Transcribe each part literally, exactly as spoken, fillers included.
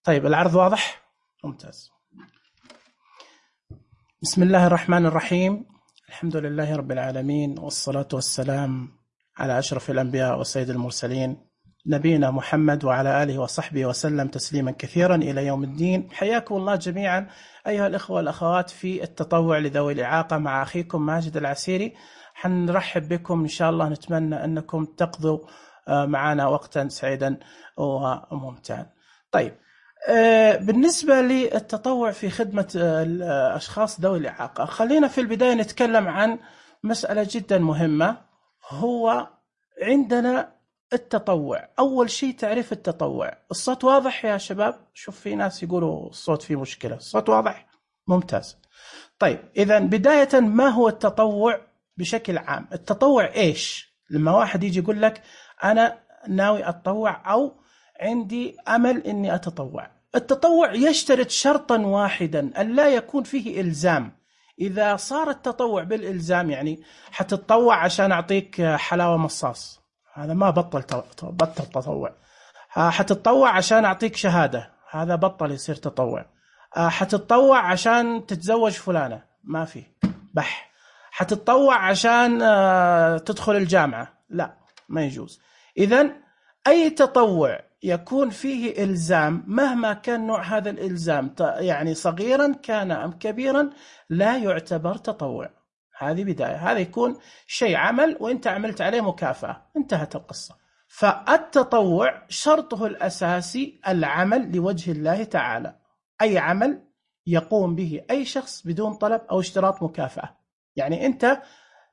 طيب العرض واضح؟ ممتاز. بسم الله الرحمن الرحيم، الحمد لله رب العالمين، والصلاة والسلام على أشرف الأنبياء وسيد المرسلين نبينا محمد وعلى آله وصحبه وسلم تسليما كثيرا إلى يوم الدين. حياكم الله جميعا أيها الإخوة والأخوات في التطوع لذوي الإعاقة مع أخيكم ماجد العسيري. حنرحب بكم إن شاء الله، نتمنى أنكم تقضوا معنا وقتا سعيدا وممتعا. طيب، بالنسبة للتطوع في خدمة الأشخاص ذوي الإعاقة، خلينا في البداية نتكلم عن مسألة جدا مهمة. هو عندنا التطوع، أول شيء تعريف التطوع. الصوت واضح يا شباب؟ شوف في ناس يقولوا الصوت فيه مشكلة. الصوت واضح؟ ممتاز. طيب إذا بداية، ما هو التطوع بشكل عام؟ التطوع إيش؟ لما واحد يجي يقول لك أنا ناوي أتطوع أو عندي أمل إني أتطوع، التطوع يشترط شرطا واحدا، أن لا يكون فيه إلزام. إذا صار التطوع بالإلزام، يعني حتتطوع عشان أعطيك حلاوة مصاص، هذا ما بطل بطل تطوع. حتتطوع عشان أعطيك شهادة، هذا بطل يصير تطوع. حتتطوع عشان تتزوج فلانة، ما في بح. حتتطوع عشان تدخل الجامعة، لا، ما يجوز. إذن أي تطوع يكون فيه إلزام مهما كان نوع هذا الإلزام، يعني صغيرا كان أم كبيرا، لا يعتبر تطوع. هذه بداية، هذا يكون شيء عمل وإنت عملت عليه مكافأة، انتهت القصة. فالتطوع شرطه الأساسي العمل لوجه الله تعالى، أي عمل يقوم به أي شخص بدون طلب أو اشتراط مكافأة. يعني أنت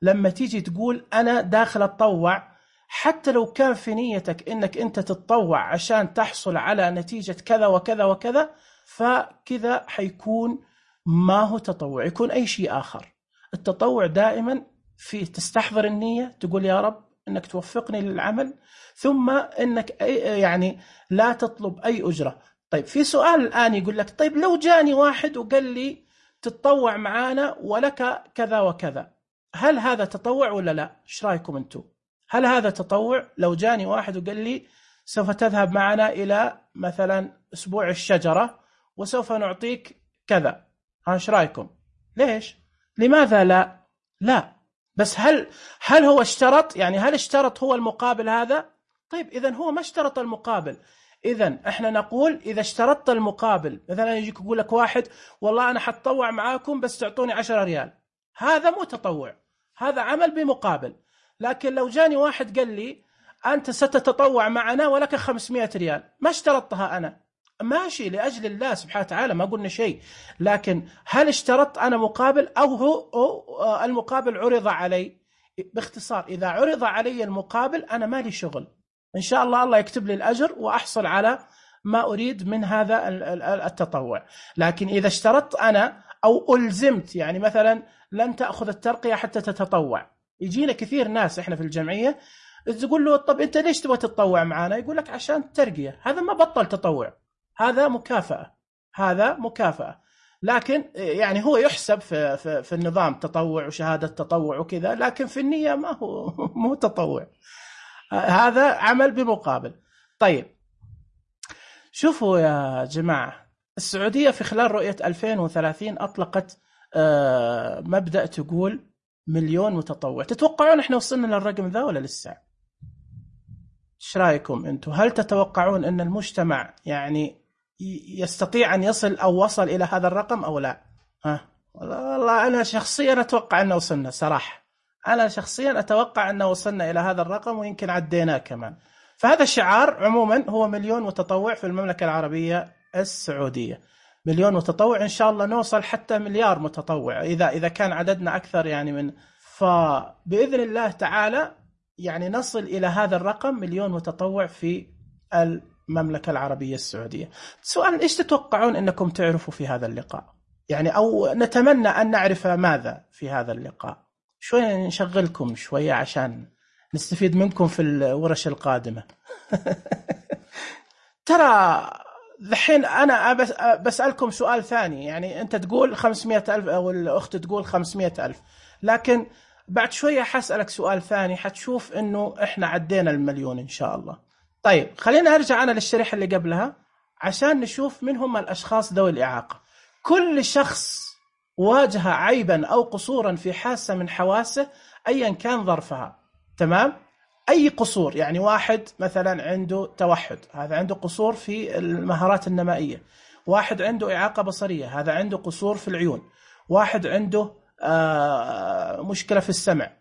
لما تيجي تقول أنا داخل أتطوع، حتى لو كان في نيتك إنك أنت تتطوع عشان تحصل على نتيجة كذا وكذا وكذا، فكذا حيكون ما هو تطوع، يكون أي شيء آخر. التطوع دائما في تستحضر النية، تقول يا رب إنك توفقني للعمل، ثم إنك يعني لا تطلب أي أجرة. طيب في سؤال الآن يقول لك، طيب لو جاني واحد وقال لي تتطوع معانا ولك كذا وكذا، هل هذا تطوع ولا لا؟ إيش رأيكم أنتم؟ هل هذا تطوع؟ لو جاني واحد وقال لي سوف تذهب معنا إلى مثلا أسبوع الشجرة وسوف نعطيك كذا، ايش رأيكم؟ ليش؟ لماذا لا؟ لا، بس هل هل هو اشترط؟ يعني هل اشترط هو المقابل هذا؟ طيب إذن هو ما اشترط المقابل. إذن احنا نقول إذا اشترطت المقابل، مثلا يجيك يقول لك واحد والله أنا حتطوع معاكم بس تعطوني عشرة ريال، هذا مو تطوع، هذا عمل بمقابل. لكن لو جاني واحد قال لي أنت ستتطوع معنا ولك خمسمائة ريال، ما اشترطتها أنا، ماشي لأجل الله سبحانه وتعالى، ما قلنا شيء، لكن هل اشترطت أنا مقابل أو هو أو المقابل عرض علي؟ باختصار، إذا عرض علي المقابل أنا مالي شغل، إن شاء الله الله يكتب لي الأجر وأحصل على ما أريد من هذا التطوع. لكن إذا اشترطت أنا أو ألزمت، يعني مثلا لن تأخذ الترقية حتى تتطوع، يجينا كثير ناس إحنا في الجمعية تقول له طب أنت ليش تبغى تتطوع معنا؟ يقول لك عشان الترقية. هذا ما بطل تطوع، هذا مكافأة، هذا مكافأة. لكن يعني هو يحسب في, في, في النظام تطوع وشهادة تطوع وكذا، لكن في النية ما هو مو تطوع، هذا عمل بمقابل. طيب شوفوا يا جماعة، السعودية في خلال رؤية ألفين وثلاثين أطلقت مبدأ تقول مليون متطوع. تتوقعون احنا وصلنا للرقم ذا ولا لسه؟ ايش رايكم انتم؟ هل تتوقعون ان المجتمع يعني يستطيع ان يصل او وصل الى هذا الرقم او لا؟ ها والله انا شخصيا اتوقع ان وصلنا صراحه، انا شخصيا اتوقع ان وصلنا الى هذا الرقم ويمكن عديناه كمان. فهذا الشعار عموما هو مليون متطوع في المملكه العربيه السعوديه، مليون متطوع، إن شاء الله نوصل حتى مليار متطوع إذا إذا كان عددنا أكثر يعني من، فبإذن الله تعالى يعني نصل إلى هذا الرقم مليون متطوع في المملكة العربية السعودية. سؤال، إيش تتوقعون أنكم تعرفوا في هذا اللقاء؟ يعني أو نتمنى أن نعرف ماذا في هذا اللقاء؟ شوية نشغلكم شوية عشان نستفيد منكم في الورش القادمة. ترى الحين أنا بسألكم سؤال ثاني، يعني أنت تقول خمسمائة ألف أو الأخت تقول خمسمائة ألف، لكن بعد شوية حسألك سؤال ثاني حتشوف إنه إحنا عدينا المليون إن شاء الله. طيب خلينا أرجع أنا للشريحة اللي قبلها. عشان نشوف من هم الأشخاص ذوي الإعاقة. كل شخص واجه عيبا أو قصورا في حاسة من حواسه أيا كان ظرفها، تمام؟ أي قصور، يعني واحد مثلا عنده توحد، هذا عنده قصور في المهارات النمائية. واحد عنده إعاقة بصرية، هذا عنده قصور في العيون. واحد عنده آه مشكلة في السمع،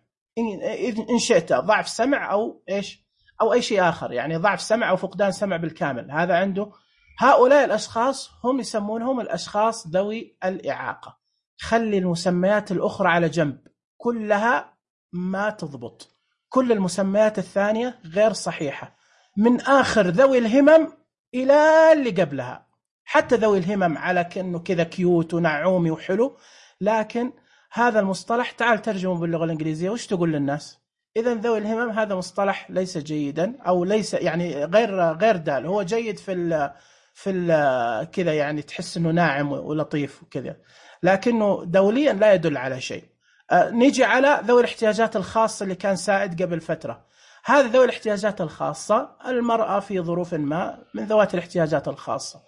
إن شئت ضعف سمع أو إيش أو أي شيء آخر، يعني ضعف سمع أو فقدان سمع بالكامل، هذا عنده. هؤلاء الأشخاص هم يسمونهم الأشخاص ذوي الإعاقة. خلي المسميات الأخرى على جنب، كلها ما تضبط، كل المسميات الثانية غير صحيحة، من آخر ذوي الهمم إلى اللي قبلها. حتى ذوي الهمم على كأنه كذا كيوت ونعومي وحلو، لكن هذا المصطلح تعال ترجمه باللغة الإنجليزية وش تقول للناس؟ إذن ذوي الهمم هذا مصطلح ليس جيدا، أو ليس يعني غير غير دال. هو جيد في ال في ال كذا، يعني تحس إنه ناعم ولطيف وكذا، لكنه دوليا لا يدل على شيء. آه نيجي على ذوي الاحتياجات الخاصة اللي كان سائد قبل فترة. هذا ذوي الاحتياجات الخاصة، المرأة في ظروف ما من ذوات الاحتياجات الخاصة،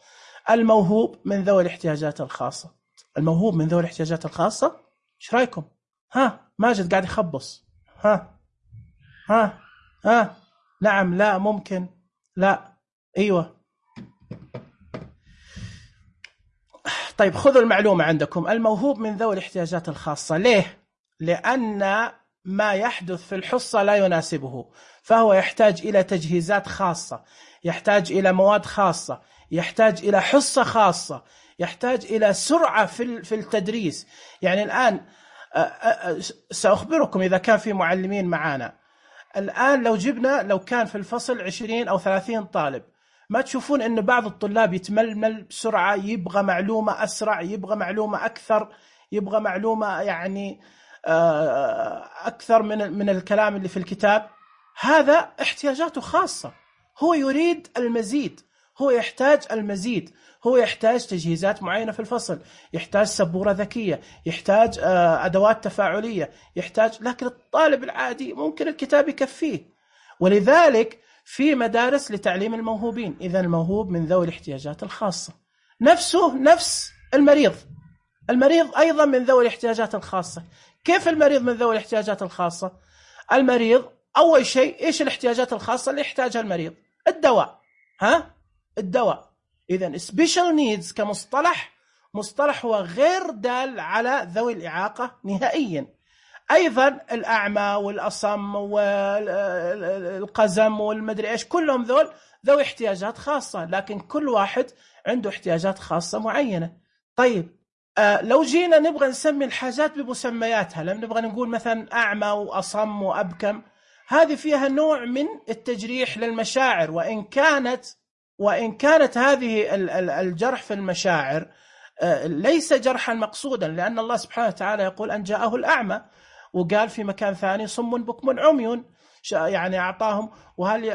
الموهوب من ذوي الاحتياجات الخاصة. الموهوب من ذوي الاحتياجات الخاصة، ايش رايكم؟ ها ماجد قاعد يخبص. ها ها ها نعم، لا، ممكن، لا، ايوه. طيب خذوا المعلومة عندكم، الموهوب من ذوي الاحتياجات الخاصة. ليه؟ لأن ما يحدث في الحصة لا يناسبه، فهو يحتاج إلى تجهيزات خاصة، يحتاج إلى مواد خاصة، يحتاج إلى حصة خاصة، يحتاج إلى سرعة في في التدريس. يعني الآن سأخبركم إذا كان في معلمين معانا الآن، لو جبنا لو كان في الفصل عشرين أو ثلاثين طالب، ما تشوفون أن بعض الطلاب يتململ بسرعة، يبغى معلومة أسرع، يبغى معلومة أكثر، يبغى معلومة يعني أكثر من من الكلام اللي في الكتاب؟ هذا احتياجاته خاصة، هو يريد المزيد، هو يحتاج المزيد، هو يحتاج تجهيزات معينة في الفصل، يحتاج سبورة ذكية، يحتاج أدوات تفاعلية، يحتاج. لكن الطالب العادي ممكن الكتاب يكفيه. ولذلك في مدارس لتعليم الموهوبين. إذن الموهوب من ذوي الاحتياجات الخاصة نفسه نفس المريض. المريض أيضا من ذوي الاحتياجات الخاصة. كيف المريض من ذوي الاحتياجات الخاصة؟ المريض أول شيء إيش الاحتياجات الخاصة اللي يحتاجها المريض؟ الدواء. ها؟ الدواء. إذن special needs كمصطلح، مصطلح هو غير دال على ذوي الإعاقة نهائيا. أيضا الأعمى والأصم والقزم والمدري إيش، كلهم ذول ذوي احتياجات خاصة، لكن كل واحد عنده احتياجات خاصة معينة. طيب آه لو جينا نبغى نسمي الحاجات بمسمياتها، لما نبغى نقول مثلا أعمى وأصم وأبكم، هذه فيها نوع من التجريح للمشاعر، وإن كانت وإن كانت هذه الجرح في المشاعر ليس جرحا مقصودا، لأن الله سبحانه وتعالى يقول أن جاءه الأعمى، وقال في مكان ثاني صم بكم عمي، يعني أعطاهم وهل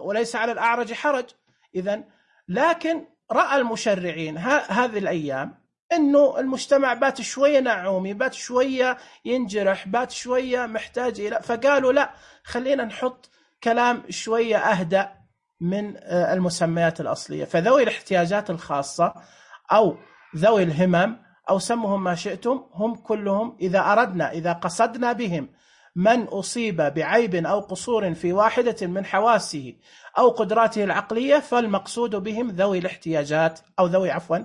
وليس على الأعرج حرج. إذن لكن رأى المشرعين هذه الأيام إنه المجتمع بات شوية نعومي، بات شوية ينجرح، بات شوية محتاج إلى، فقالوا لا، خلينا نحط كلام شوية أهدأ من المسميات الأصلية. فذوي الاحتياجات الخاصة أو ذوي الهمم أو سمهم ما شئتم، هم كلهم إذا أردنا إذا قصدنا بهم من أصيب بعيب أو قصور في واحدة من حواسه أو قدراته العقلية، فالمقصود بهم ذوي الاحتياجات أو ذوي عفوا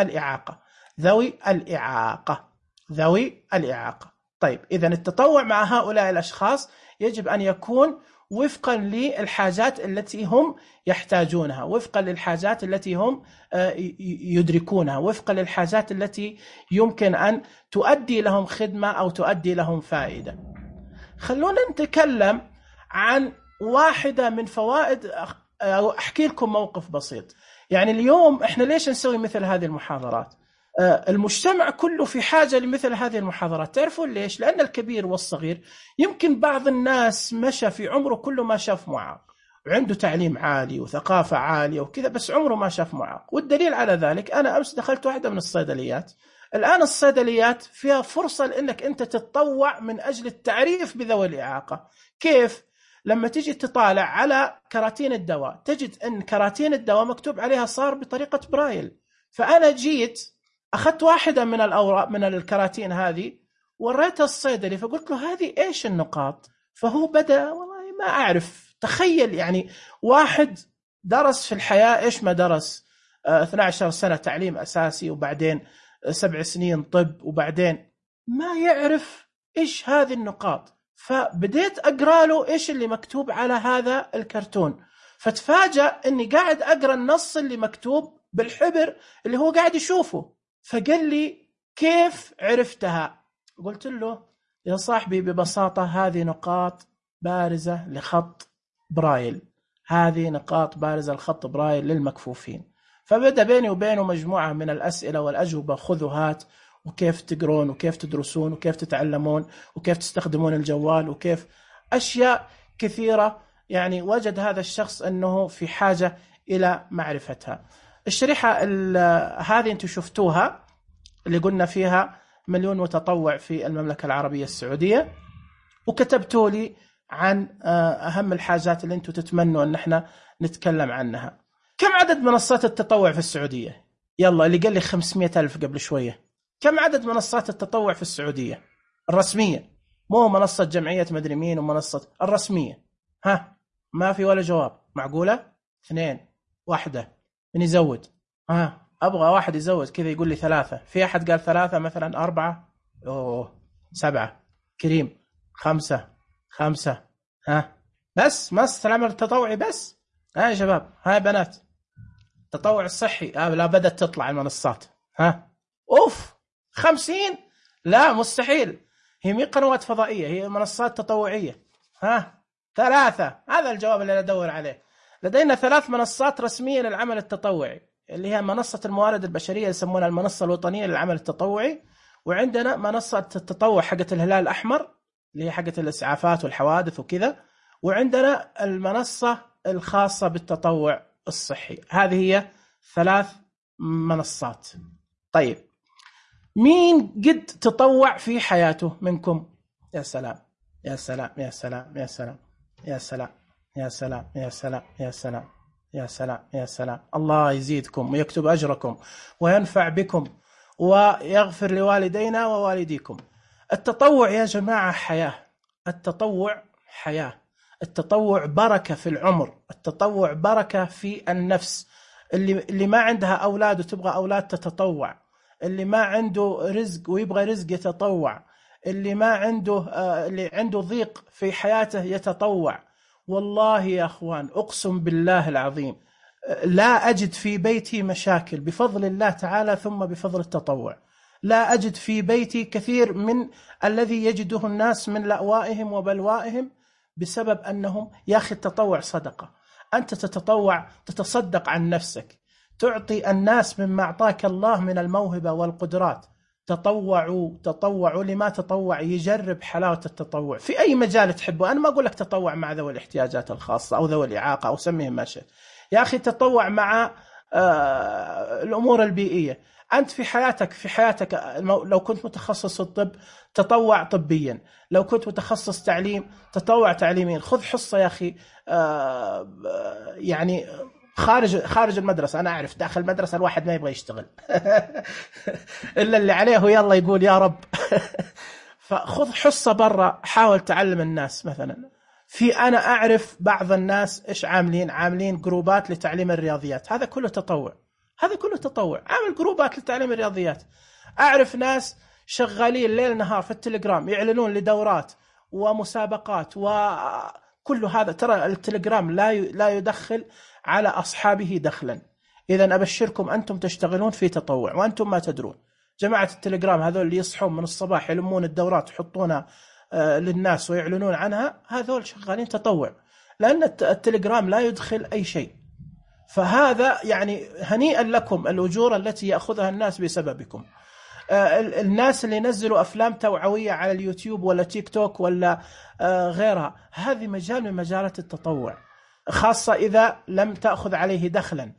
الإعاقة، ذوي الإعاقة ذوي الإعاقة. طيب إذن التطوع مع هؤلاء الأشخاص يجب أن يكون وفقا للحاجات التي هم يحتاجونها، وفقا للحاجات التي هم يدركونها، وفقا للحاجات التي يمكن أن تؤدي لهم خدمة أو تؤدي لهم فائدة. خلونا نتكلم عن واحدة من فوائد، أحكي لكم موقف بسيط. يعني اليوم إحنا ليش نسوي مثل هذه المحاضرات؟ المجتمع كله في حاجة لمثل هذه المحاضرات. تعرفون ليش؟ لأن الكبير والصغير، يمكن بعض الناس مشى في عمره كله ما شاف معاق، وعنده تعليم عالي وثقافة عالية وكذا، بس عمره ما شاف معاق. والدليل على ذلك أنا أمس دخلت واحدة من الصيدليات. الآن الصيدليات فيها فرصة لأنك أنت تتطوع من أجل التعريف بذوي الإعاقة. كيف؟ لما تجي تطالع على كراتين الدواء تجد أن كراتين الدواء مكتوب عليها صار بطريقة برايل. فأنا جيت أخذت واحدة من الأوراق من الكراتين هذه وريتها الصيدلي، فقلت له هذه إيش النقاط؟ فهو بدأ والله ما أعرف. تخيل يعني واحد درس في الحياة إيش ما درس، اثنتي عشرة سنة تعليم أساسي وبعدين سبع سنين طب وبعدين ما يعرف إيش هذه النقاط. فبديت أقرأ له إيش اللي مكتوب على هذا الكرتون، فتفاجأ أني قاعد أقرأ النص اللي مكتوب بالحبر اللي هو قاعد يشوفه. فقال لي كيف عرفتها؟ قلت له يا صاحبي ببساطة هذه نقاط بارزة لخط برايل، هذه نقاط بارزة لخط برايل للمكفوفين. فبدأ بيني وبينه مجموعة من الأسئلة والأجوبة، خذوا هات، وكيف تقرون وكيف تدرسون وكيف تتعلمون وكيف تستخدمون الجوال وكيف أشياء كثيرة. يعني وجد هذا الشخص أنه في حاجة إلى معرفتها. الشريحة هذه أنتم شفتوها اللي قلنا فيها مليون متطوع في المملكة العربية السعودية، وكتبتوا لي عن أهم الحاجات اللي أنتم تتمنوا أن احنا نتكلم عنها. كم عدد منصات التطوع في السعودية؟ يلا اللي قال لي خمسمائة ألف قبل شوية، كم عدد منصات التطوع في السعودية الرسمية؟ مو منصة جمعية مدري مين ومنصة الرسمية. ها ما في ولا جواب. معقولة؟ اثنين، واحدة، من يزود؟ ها أبغى واحد يزود كذا يقول لي ثلاثة. في أحد قال ثلاثة مثلا؟ أربعة؟ أوه سبعة. كريم خمسة. خمسة. ها بس مس العمل التطوعي بس. ها يا شباب، ها بنات، التطوع الصحي آه لا بدأت تطلع المنصات. ها أوف خمسين؟ لا مستحيل، هي مي قنوات فضائية، هي منصات تطوعية. ها ثلاثة. هذا الجواب اللي أدور عليه. لدينا ثلاث منصات رسمية للعمل التطوعي، اللي هي منصة الموارد البشرية يسمونها المنصة الوطنية للعمل التطوعي، وعندنا منصة التطوع حقت الهلال الأحمر اللي هي حقت الإسعافات والحوادث وكذا، وعندنا المنصة الخاصة بالتطوع الصحي. هذه هي ثلاث منصات. طيب مين قد تطوع في حياته منكم؟ يا سلام يا سلام يا سلام يا سلام يا سلام يا سلام يا سلام يا سلام يا سلام يا سلام. الله يزيدكم ويكتب أجركم وينفع بكم ويغفر لوالدينا ووالديكم. التطوع يا جماعة حياة، التطوع حياة، التطوع بركة في العمر، التطوع بركة في النفس. اللي اللي ما عندها أولاد وتبغى أولاد تتطوع، اللي ما عنده رزق ويبغى رزق يتطوع، اللي ما عنده آه اللي عنده ضيق في حياته يتطوع. والله يا أخوان أقسم بالله العظيم لا أجد في بيتي مشاكل بفضل الله تعالى ثم بفضل التطوع. لا أجد في بيتي كثير من الذي يجده الناس من لأوائهم وبلوائهم بسبب أنهم يا أخي التطوع صدقة. أنت تتطوع تتصدق عن نفسك، تعطي الناس مما أعطاك الله من الموهبة والقدرات. تطوعوا تطوعوا لما تطوع يجرب حلاوة التطوع في أي مجال تحبه. أنا ما أقول لك تطوع مع ذوي الاحتياجات الخاصة أو ذوي الإعاقة أو سميهم ما شئت. يا أخي تطوع مع آه الأمور البيئية. أنت في حياتك في حياتك لو كنت متخصص في الطب تطوع طبيا، لو كنت متخصص تعليم تطوع تعليميا. خذ حصة يا أخي آه يعني خارج خارج المدرسة. أنا أعرف داخل المدرسة الواحد ما يبغى يشتغل إلا اللي عليه يلا يقول يا رب فخذ حصة برا، حاول تعلم الناس. مثلا في أنا أعرف بعض الناس إيش عاملين عاملين جروبات لتعليم الرياضيات. هذا كله تطوع، هذا كله تطوع. عامل جروبات لتعليم الرياضيات. أعرف ناس شغالين ليل نهار في التليجرام يعلنون لدورات ومسابقات وكل هذا. ترى التليجرام لا لا يدخل على أصحابه دخلا. إذا أبشركم أنتم تشتغلون في تطوع وأنتم ما تدرون. جماعة التليجرام هذول اللي يصحون من الصباح يلمون الدورات ويحطونها للناس ويعلنون عنها، هذول شغالين تطوع، لأن التليجرام لا يدخل أي شيء. فهذا يعني هنيئا لكم الأجور التي يأخذها الناس بسببكم. الناس اللي ينزلوا أفلام توعوية على اليوتيوب ولا تيك توك ولا غيرها، هذه مجال من مجالات التطوع، خاصة إذا لم تأخذ عليه دخلا.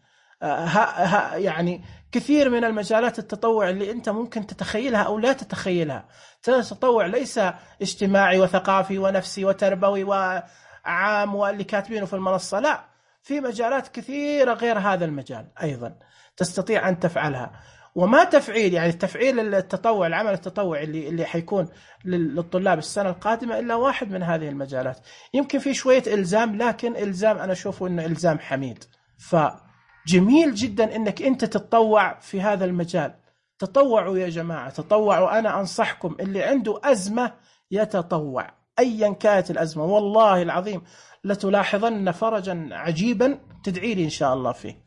يعني كثير من المجالات التطوع اللي أنت ممكن تتخيلها أو لا تتخيلها. التطوع ليس اجتماعي وثقافي ونفسي وتربوي وعلى عام واللي كاتبينه في المنصة، لا، في مجالات كثيرة غير هذا المجال أيضا تستطيع أن تفعلها. وما تفعيل يعني تفعيل التطوع، العمل التطوعي اللي اللي حيكون للطلاب السنة القادمة إلا واحد من هذه المجالات. يمكن في شوية إلزام، لكن إلزام أنا أشوفه إنه إلزام حميد. فجميل جدا إنك أنت تتطوع في هذا المجال. تطوعوا يا جماعة، تطوعوا. أنا أنصحكم اللي عنده أزمة يتطوع أيا كانت الأزمة، والله العظيم لتلاحظن فرجا عجيبا تدعي لي إن شاء الله فيه.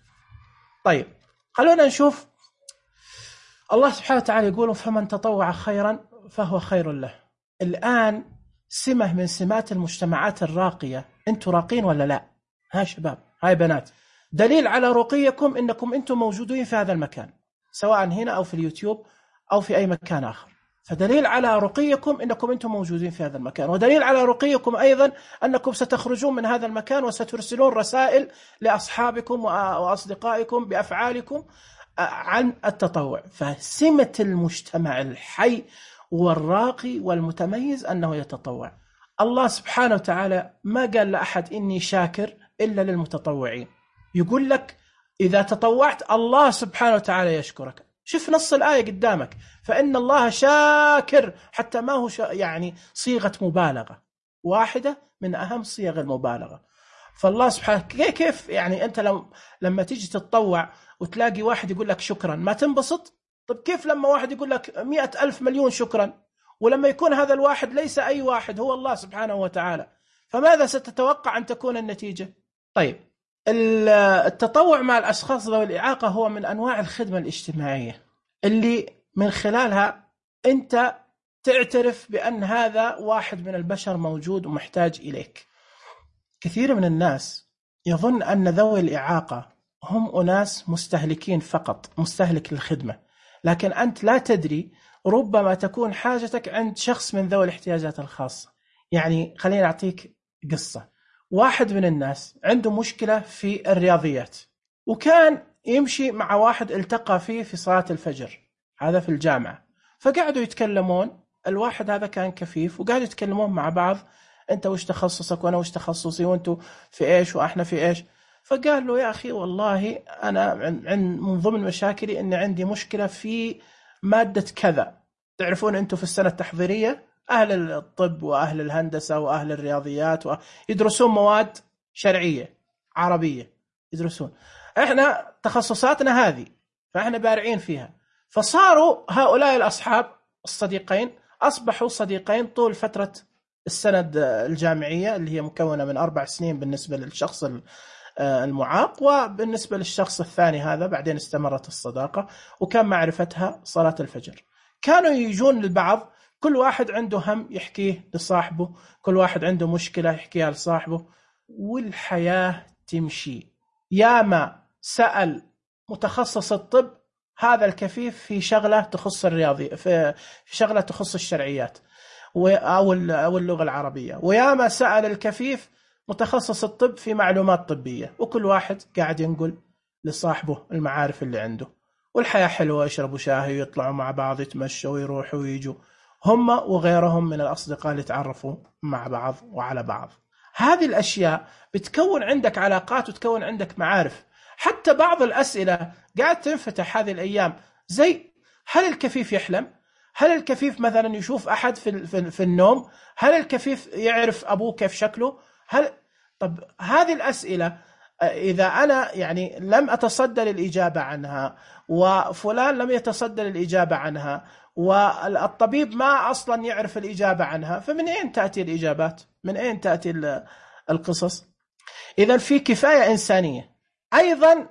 طيب خلونا نشوف. الله سبحانه وتعالى يقول فمن تطوع خيرا فهو خير له. الآن سمة من سمات المجتمعات الراقية، أنتوا راقين ولا لا؟ ها شباب، هاي بنات، دليل على رقيكم إنكم أنتم موجودين في هذا المكان، سواء هنا أو في اليوتيوب أو في أي مكان آخر. فدليل على رقيكم إنكم أنتم موجودين في هذا المكان، ودليل على رقيكم أيضا أنكم ستخرجون من هذا المكان وسترسلون رسائل لأصحابكم وأصدقائكم بأفعالكم عن التطوع. فسمة المجتمع الحي والراقي والمتميز أنه يتطوع. الله سبحانه وتعالى ما قال لأحد إني شاكر إلا للمتطوعين. يقول لك إذا تطوعت الله سبحانه وتعالى يشكرك. شوف نص الآية قدامك، فإن الله شاكر، حتى ما هو يعني صيغة مبالغة، واحدة من أهم صيغ المبالغة. فالله سبحانه كيف يعني أنت لو لما تيجي تتطوع وتلاقي واحد يقول لك شكرا ما تنبسط؟ طب كيف لما واحد يقول لك مئة ألف مليون شكرا، ولما يكون هذا الواحد ليس أي واحد، هو الله سبحانه وتعالى؟ فماذا ستتوقع أن تكون النتيجة؟ طيب، التطوع مع الأشخاص ذوي الإعاقة هو من أنواع الخدمة الاجتماعية اللي من خلالها أنت تعترف بأن هذا واحد من البشر موجود ومحتاج إليك. كثير من الناس يظن أن ذوي الإعاقة هم أناس مستهلكين فقط، مستهلك للخدمة، لكن أنت لا تدري، ربما تكون حاجتك عند شخص من ذوي الاحتياجات الخاصة. يعني خليني أعطيك قصة. واحد من الناس عنده مشكلة في الرياضيات، وكان يمشي مع واحد التقى فيه في صلاة الفجر، هذا في الجامعة، فقعدوا يتكلمون. الواحد هذا كان كفيف، وقعدوا يتكلمون مع بعض، أنت وش تخصصك وأنا وش تخصصي وأنتوا في إيش وإحنا في إيش. فقال له يا أخي والله أنا عن من ضمن مشاكلي أن عندي مشكلة في مادة كذا. تعرفون أنتوا في السنة التحضيرية أهل الطب وأهل الهندسة وأهل الرياضيات يدرسون مواد شرعية عربية يدرسون، إحنا تخصصاتنا هذه، فإحنا بارعين فيها. فصاروا هؤلاء الأصحاب الصديقين أصبحوا صديقين طول فترة السند الجامعية اللي هي مكونة من أربع سنين بالنسبة للشخص المعاق، وبالنسبة للشخص الثاني هذا بعدين استمرت الصداقة، وكان معرفتها صلاة الفجر. كانوا يجون للبعض، كل واحد عنده هم يحكيه لصاحبه، كل واحد عنده مشكلة يحكيها لصاحبه، والحياة تمشي. ياما سأل متخصص الطب هذا الكفيف في شغلة تخص الرياضي، في شغلة تخص الشرعيات أو اللغة العربية، وياما سأل الكفيف متخصص الطب في معلومات طبية، وكل واحد قاعد ينقل لصاحبه المعارف اللي عنده. والحياة حلوة، يشربوا شاهي ويطلعوا مع بعض، يتمشوا ويروحوا ويجوا، هم وغيرهم من الأصدقاء اللي تعرفوا مع بعض وعلى بعض. هذه الأشياء بتكون عندك علاقات وتكون عندك معارف. حتى بعض الأسئلة قاعد تنفتح هذه الأيام، زي هل الكفيف يحلم؟ هل الكفيف مثلا يشوف أحد في, في, في النوم؟ هل الكفيف يعرف أبوه كيف شكله؟ هل طب هذه الأسئلة إذا أنا يعني لم أتصدى للإجابة عنها، وفلان لم يتصدى للإجابة عنها، والطبيب ما أصلا يعرف الإجابة عنها، فمن أين تأتي الإجابات؟ من أين تأتي القصص؟ إذن في كفاية إنسانية. أيضا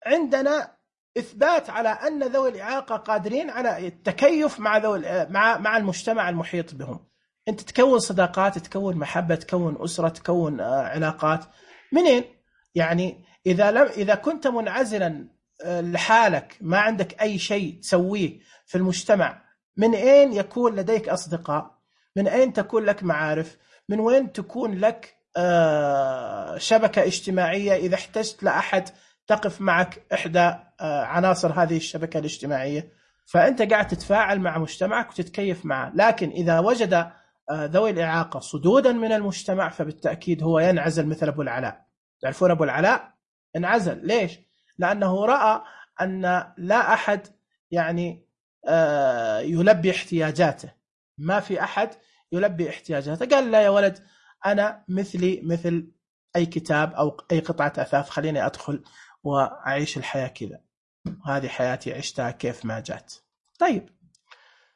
عندنا إثبات على أن ذوي الإعاقة قادرين على التكيف مع ذوي مع مع المجتمع المحيط بهم. أنت تكون صداقات، تكون محبة، تكون أسرة، تكون علاقات. منين؟ يعني إذا لم إذا كنت منعزلا لحالك، ما عندك أي شيء تسويه في المجتمع، من أين يكون لديك أصدقاء؟ من أين تكون لك معارف؟ من وين تكون لك شبكة اجتماعية إذا احتجت لأحد تقف معك إحدى عناصر هذه الشبكة الاجتماعية؟ فأنت قاعد تتفاعل مع مجتمعك وتتكيف معه. لكن إذا وجد ذوي الإعاقة صدودا من المجتمع، فبالتأكيد هو ينعزل مثل أبو العلاء. تعرفون أبو العلاء انعزل ليش؟ لأنه رأى أن لا أحد يعني يلبي احتياجاته، ما في أحد يلبي احتياجاته. قال لا يا ولد، أنا مثلي مثل أي كتاب أو أي قطعة أثاث، خليني أدخل وأعيش الحياة كذا، هذه حياتي عشتها كيف ما جات. طيب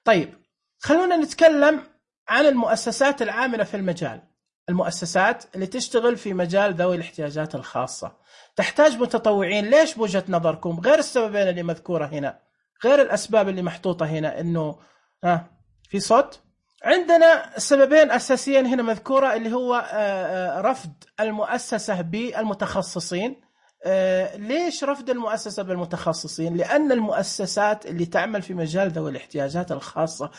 طيب خلونا نتكلم عن المؤسسات العاملة في المجال. المؤسسات اللي تشتغل في مجال ذوي الاحتياجات الخاصة تحتاج متطوعين. ليش بوجهة نظركم؟ غير السببين اللي مذكورة هنا، غير الأسباب اللي محطوطة هنا، إنه ها في صوت. عندنا سببين أساسيين هنا مذكورة، اللي هو رفض المؤسسة بالمتخصصين. ليش رفض المؤسسة بالمتخصصين؟ لأن المؤسسات اللي تعمل في مجال ذوي الاحتياجات الخاصة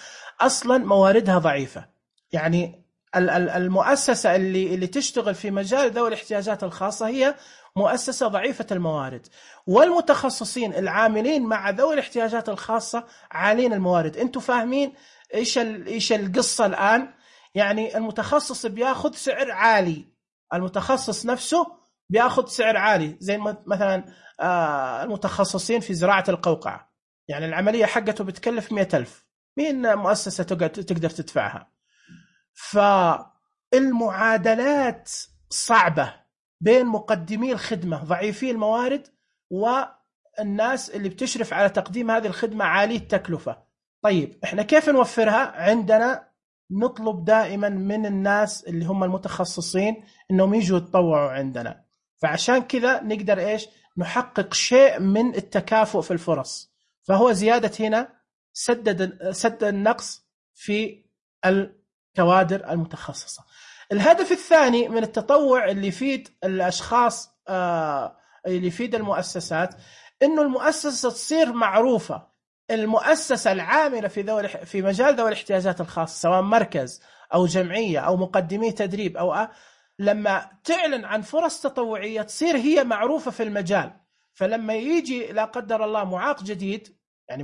أصلا مواردها ضعيفة. يعني المؤسسة اللي اللي تشتغل في مجال ذوي الاحتياجات الخاصة هي مؤسسة ضعيفة الموارد، والمتخصصين العاملين مع ذوي الاحتياجات الخاصة عالين الموارد. انتم فاهمين ايش ايش القصة الآن؟ يعني المتخصص بياخذ سعر عالي، المتخصص نفسه بياخذ سعر عالي، زي مثلا المتخصصين في زراعة القوقعة، يعني العملية حقته بتكلف مئة ألف، مين مؤسسة تقدر تدفعها؟ فالمعادلات صعبة بين مقدمي الخدمة ضعيفي الموارد والناس اللي بتشرف على تقديم هذه الخدمة عالي التكلفة. طيب احنا كيف نوفرها؟ عندنا نطلب دائما من الناس اللي هم المتخصصين انهم يجوا يتطوعوا عندنا، فعشان كذا نقدر ايش نحقق شيء من التكافؤ في الفرص. فهو زيادة هنا سدد سد النقص في الكوادر المتخصصة. الهدف الثاني من التطوع اللي يفيد الأشخاص آه اللي يفيد المؤسسات، إنه المؤسسة تصير معروفة. المؤسسة العاملة في ذوي في مجال ذوي الاحتياجات الخاصة، سواء مركز أو جمعية أو مقدمي تدريب أو أه لما تعلن عن فرص تطوعية تصير هي معروفة في المجال. فلما يجي لا قدر الله معاق جديد، يعني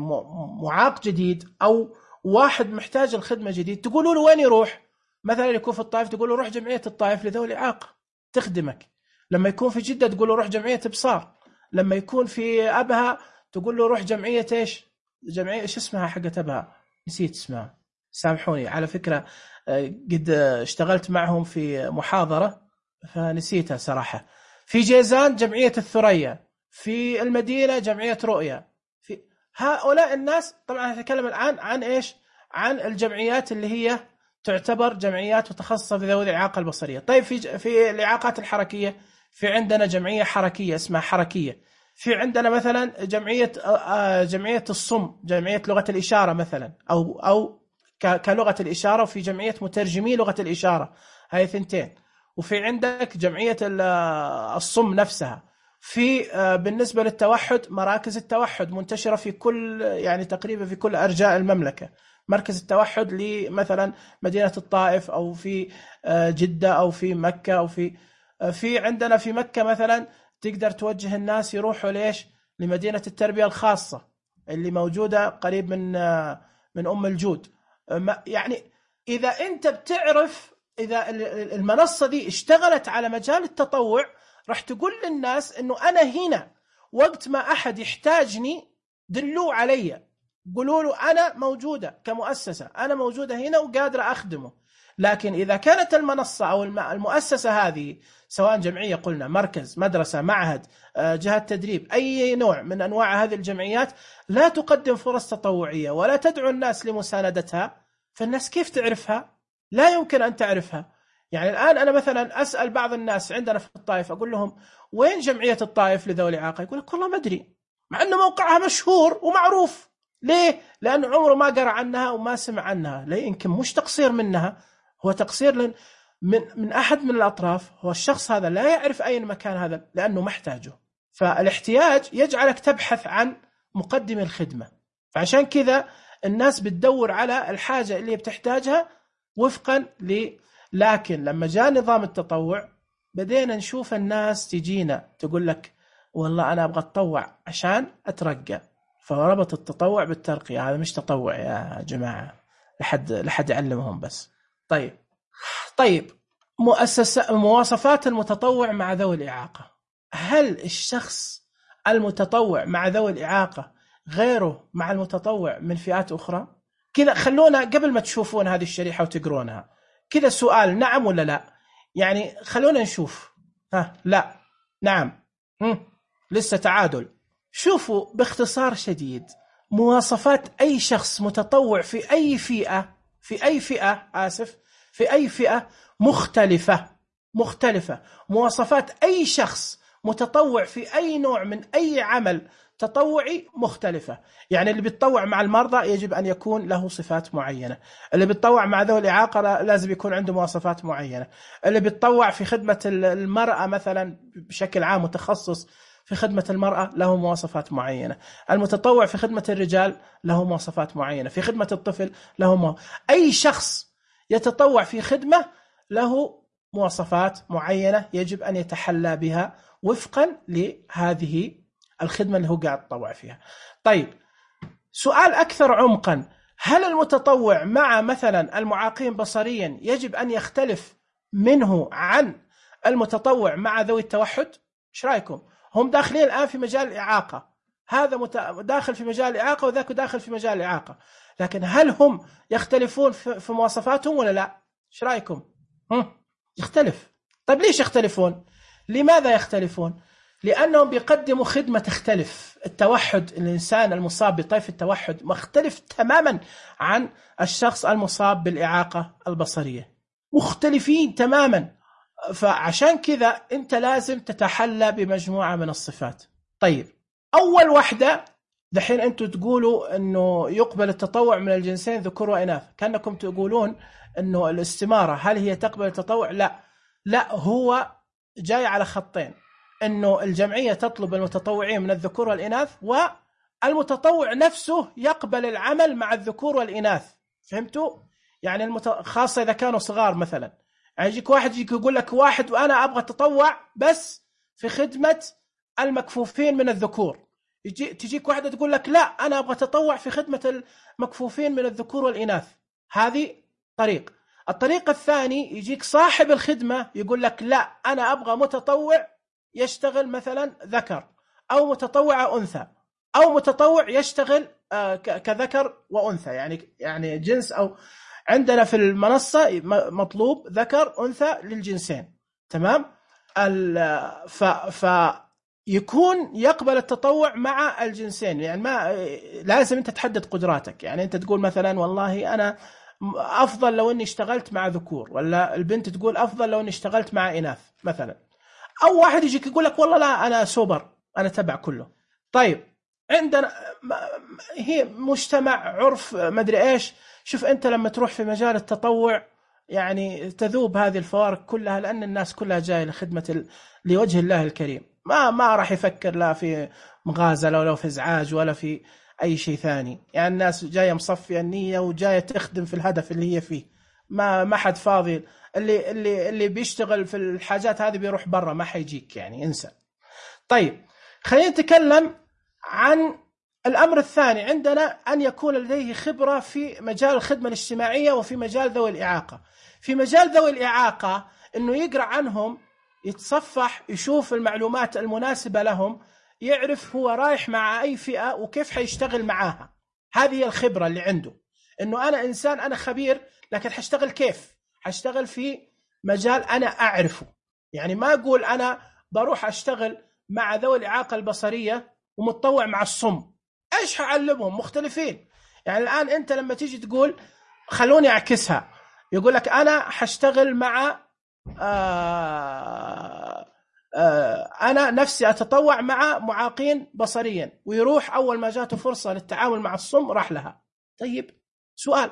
معاق جديد أو واحد محتاج الخدمة جديد، تقولوا له وين يروح؟ مثلا يكون في الطائف تقول له روح جمعية الطائف لذوي الإعاقة تخدمك. لما يكون في جدة تقول له روح جمعية بصار. لما يكون في أبها تقول له روح جمعية إيش؟ جمعية إيش اسمها حقت أبها؟ نسيت اسمها، سامحوني. على فكرة قد اشتغلت معهم في محاضرة فنسيتها صراحة. في جيزان جمعية الثريا، في المدينة جمعية رؤيا. في هؤلاء الناس طبعا نتكلم الآن عن إيش؟ عن الجمعيات اللي هي تعتبر جمعيات متخصصة في ذوي الإعاقة البصرية. طيب في في الإعاقات الحركية في عندنا جمعية حركية اسمها حركية. في عندنا مثلا جمعية جمعية الصم، جمعية لغة الإشارة مثلا، أو أو كلغة الإشارة، وفي جمعية مترجمي لغة الإشارة، هاي ثنتين. وفي عندك جمعية الصم نفسها. في بالنسبة للتوحد مراكز التوحد منتشرة في كل يعني تقريبا في كل أرجاء المملكة. مركز التوحد لمثلا مدينة الطائف أو في جدة أو في مكة أو في في عندنا في مكة مثلا تقدر توجه الناس يروحوا ليش؟ لمدينة التربية الخاصة اللي موجودة قريب من من أم الجود. يعني إذا أنت بتعرف إذا المنصة دي اشتغلت على مجال التطوع راح تقول للناس إنه أنا هنا وقت ما أحد يحتاجني دلوا علي، قولوا له أنا موجودة كمؤسسة، أنا موجودة هنا وقادرة أخدمه. لكن إذا كانت المنصة أو المؤسسة هذه سواء جمعية قلنا مركز مدرسة معهد جهة تدريب أي نوع من أنواع هذه الجمعيات لا تقدم فرص تطوعية ولا تدعو الناس لمساندتها، فالناس كيف تعرفها؟ لا يمكن أن تعرفها. يعني الآن أنا مثلا أسأل بعض الناس عندنا في الطائف أقول لهم وين جمعية الطائف لذوي الإعاقة؟ يقول لك والله ما أدري، مع أنه موقعها مشهور ومعروف. ليه؟ لأنه عمره ما قرأ عنها وما سمع عنها. لا يمكن مش تقصير منها، هو تقصير لن من من أحد من الأطراف. هو الشخص هذا لا يعرف أين مكان هذا لأنه محتاجه. فالاحتياج يجعلك تبحث عن مقدم الخدمة، فعشان كذا الناس بتدور على الحاجة اللي بتحتاجها وفقا ل. لكن لما جاء نظام التطوع بدينا نشوف الناس تجينا تقول لك والله أنا أبغى أتطوع عشان أترقى، فربط التطوع بالترقية. هذا مش تطوع يا جماعة، لحد لحد يعلمهم بس. طيب طيب مؤسسة مواصفات المتطوع مع ذوي الإعاقة. هل الشخص المتطوع مع ذوي الإعاقة غيره مع المتطوع من فئات أخرى؟ كذا خلونا قبل ما تشوفون هذه الشريحة وتقرونها كذا سؤال، نعم ولا لا؟ يعني خلونا نشوف. ها لا نعم هم. لسه تعادل. شوفوا باختصار شديد، مواصفات أي شخص متطوع في أي فئة في أي فئة آسف في أي فئة مختلفة مختلفة مواصفات أي شخص متطوع في أي نوع من أي عمل تطوعي مختلفة. يعني اللي بيتطوع مع المرضى يجب أن يكون له صفات معينة، اللي بيتطوع مع ذوي الإعاقة لازم يكون عنده مواصفات معينة، اللي بيتطوع في خدمة المرأة مثلا بشكل عام متخصص في خدمة المرأة له مواصفات معينة، المتطوع في خدمة الرجال له مواصفات معينة، في خدمة الطفل له مو... أي شخص يتطوع في خدمة له مواصفات معينة يجب أن يتحلى بها وفقا لهذه الخدمة اللي هو قاعد يتطوع فيها. طيب سؤال أكثر عمقا، هل المتطوع مع مثلا المعاقين بصريا يجب أن يختلف منه عن المتطوع مع ذوي التوحد؟ ايش رايكم؟ هم داخلين الآن في مجال الإعاقة، هذا داخل في مجال الإعاقة وذاك داخل في مجال الإعاقة، لكن هل هم يختلفون في مواصفاتهم ولا لا؟ ايش رايكم؟ هم يختلف. طيب ليش يختلفون؟ لماذا يختلفون؟ لأنهم بيقدموا خدمة تختلف. التوحد، الإنسان المصاب بطيف التوحد مختلف تماما عن الشخص المصاب بالإعاقة البصرية، مختلفين تماما. فعشان كذا أنت لازم تتحلى بمجموعة من الصفات. طيب أول واحدة دحين أنتوا تقولوا أنه يقبل التطوع من الجنسين ذكور وإناث، كأنكم تقولون أنه الاستمارة هل هي تقبل التطوع؟ لا لا، هو جاي على خطين، أنه الجمعية تطلب المتطوعين من الذكور والإناث، والمتطوع نفسه يقبل العمل مع الذكور والإناث. فهمتوا؟ يعني المت... خاصة إذا كانوا صغار مثلا، يعني يجيك واحد يجيك يقول لك واحد وأنا أبغى أتطوع بس في خدمة المكفوفين من الذكور، يجي تجيك واحدة تقول لك لا أنا أبغى أتطوع في خدمة المكفوفين من الذكور والإناث. هذه طريق. الطريق الثاني يجيك صاحب الخدمة يقول لك لا أنا أبغى متطوع يشتغل مثلا ذكر، أو متطوع أنثى، أو متطوع يشتغل كذكر وأنثى، يعني يعني جنس، أو عندنا في المنصة مطلوب ذكر أنثى للجنسين. تمام؟ ف ف يكون يقبل التطوع مع الجنسين. يعني ما لازم أنت تحدد قدراتك، يعني أنت تقول مثلا والله أنا أفضل لو أني اشتغلت مع ذكور، ولا البنت تقول أفضل لو أني اشتغلت مع إناث مثلا، أو واحد يجيك يقول لك والله لا أنا سوبر أنا تبع كله. طيب عندنا هي مجتمع عرف مدري إيش. شوف أنت لما تروح في مجال التطوع يعني تذوب هذه الفوارق كلها، لأن الناس كلها جاية لخدمة ال... لوجه الله الكريم، ما ما راح يفكر لا في مغازلة ولا في إزعاج ولا في أي شيء ثاني. يعني الناس جاية مصفية النية وجاية تخدم في الهدف اللي هي فيه، ما ما حد فاضي. اللي اللي اللي بيشتغل في الحاجات هذه بيروح برا، ما حيجيك يعني، انسى. طيب خلينا نتكلم عن الأمر الثاني، عندنا أن يكون لديه خبرة في مجال الخدمة الاجتماعية وفي مجال ذوي الإعاقة. في مجال ذوي الإعاقة إنه يقرأ عنهم، يتصفح، يشوف المعلومات المناسبة لهم، يعرف هو رايح مع أي فئة وكيف حيشتغل معاها. هذه هي الخبرة اللي عنده، إنه أنا إنسان أنا خبير، لكن حشتغل كيف؟ حشتغل في مجال أنا أعرفه. يعني ما أقول أنا بروح أشتغل مع ذوي الإعاقة البصرية ومتطوع مع الصم، إيش هعلمهم؟ مختلفين. يعني الآن أنت لما تيجي تقول خلوني أعكسها، يقول لك أنا حشتغل مع آه آه أنا نفسي أتطوع مع معاقين بصريا، ويروح أول ما جاته فرصة للتعامل مع الصم راح لها. طيب سؤال،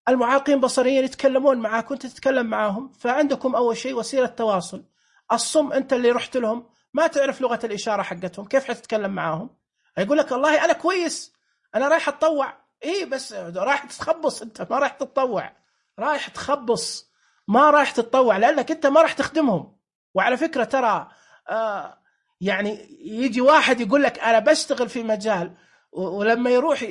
المعاقين بصريين يتكلمون معاك وأنت تتكلم معاهم، فعندكم أول شيء وسيلة تواصل. الصم أنت اللي رحت لهم ما تعرف لغة الإشارة حقتهم، كيف حتتكلم معاهم؟ يقول لك والله أنا كويس أنا رايح أتطوع. إيه بس رايح تتخبص، أنت ما رايح تتطوع، رايح تخبص، ما رايح تتطوع، لأنك أنت ما رايح تخدمهم. وعلى فكرة ترى آه يعني يجي واحد يقول لك أنا بشتغل في مجال، ولما يروح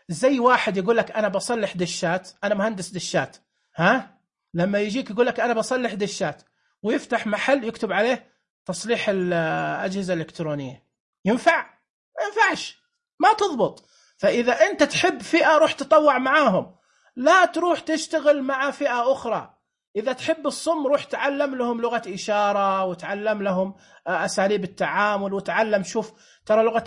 زي واحد يقول لك أنا بصلح دشات، أنا مهندس دشات، ها لما يجيك يقول لك أنا بصلح دشات ويفتح محل يكتب عليه تصليح الأجهزة الإلكترونية، ينفع؟ ما ينفعش، ما تضبط. فإذا أنت تحب فئة روح تطوع معاهم، لا تروح تشتغل مع فئة أخرى. إذا تحب الصم روح تعلم لهم لغة إشارة وتعلم لهم أساليب التعامل وتعلم. شوف ترى لغة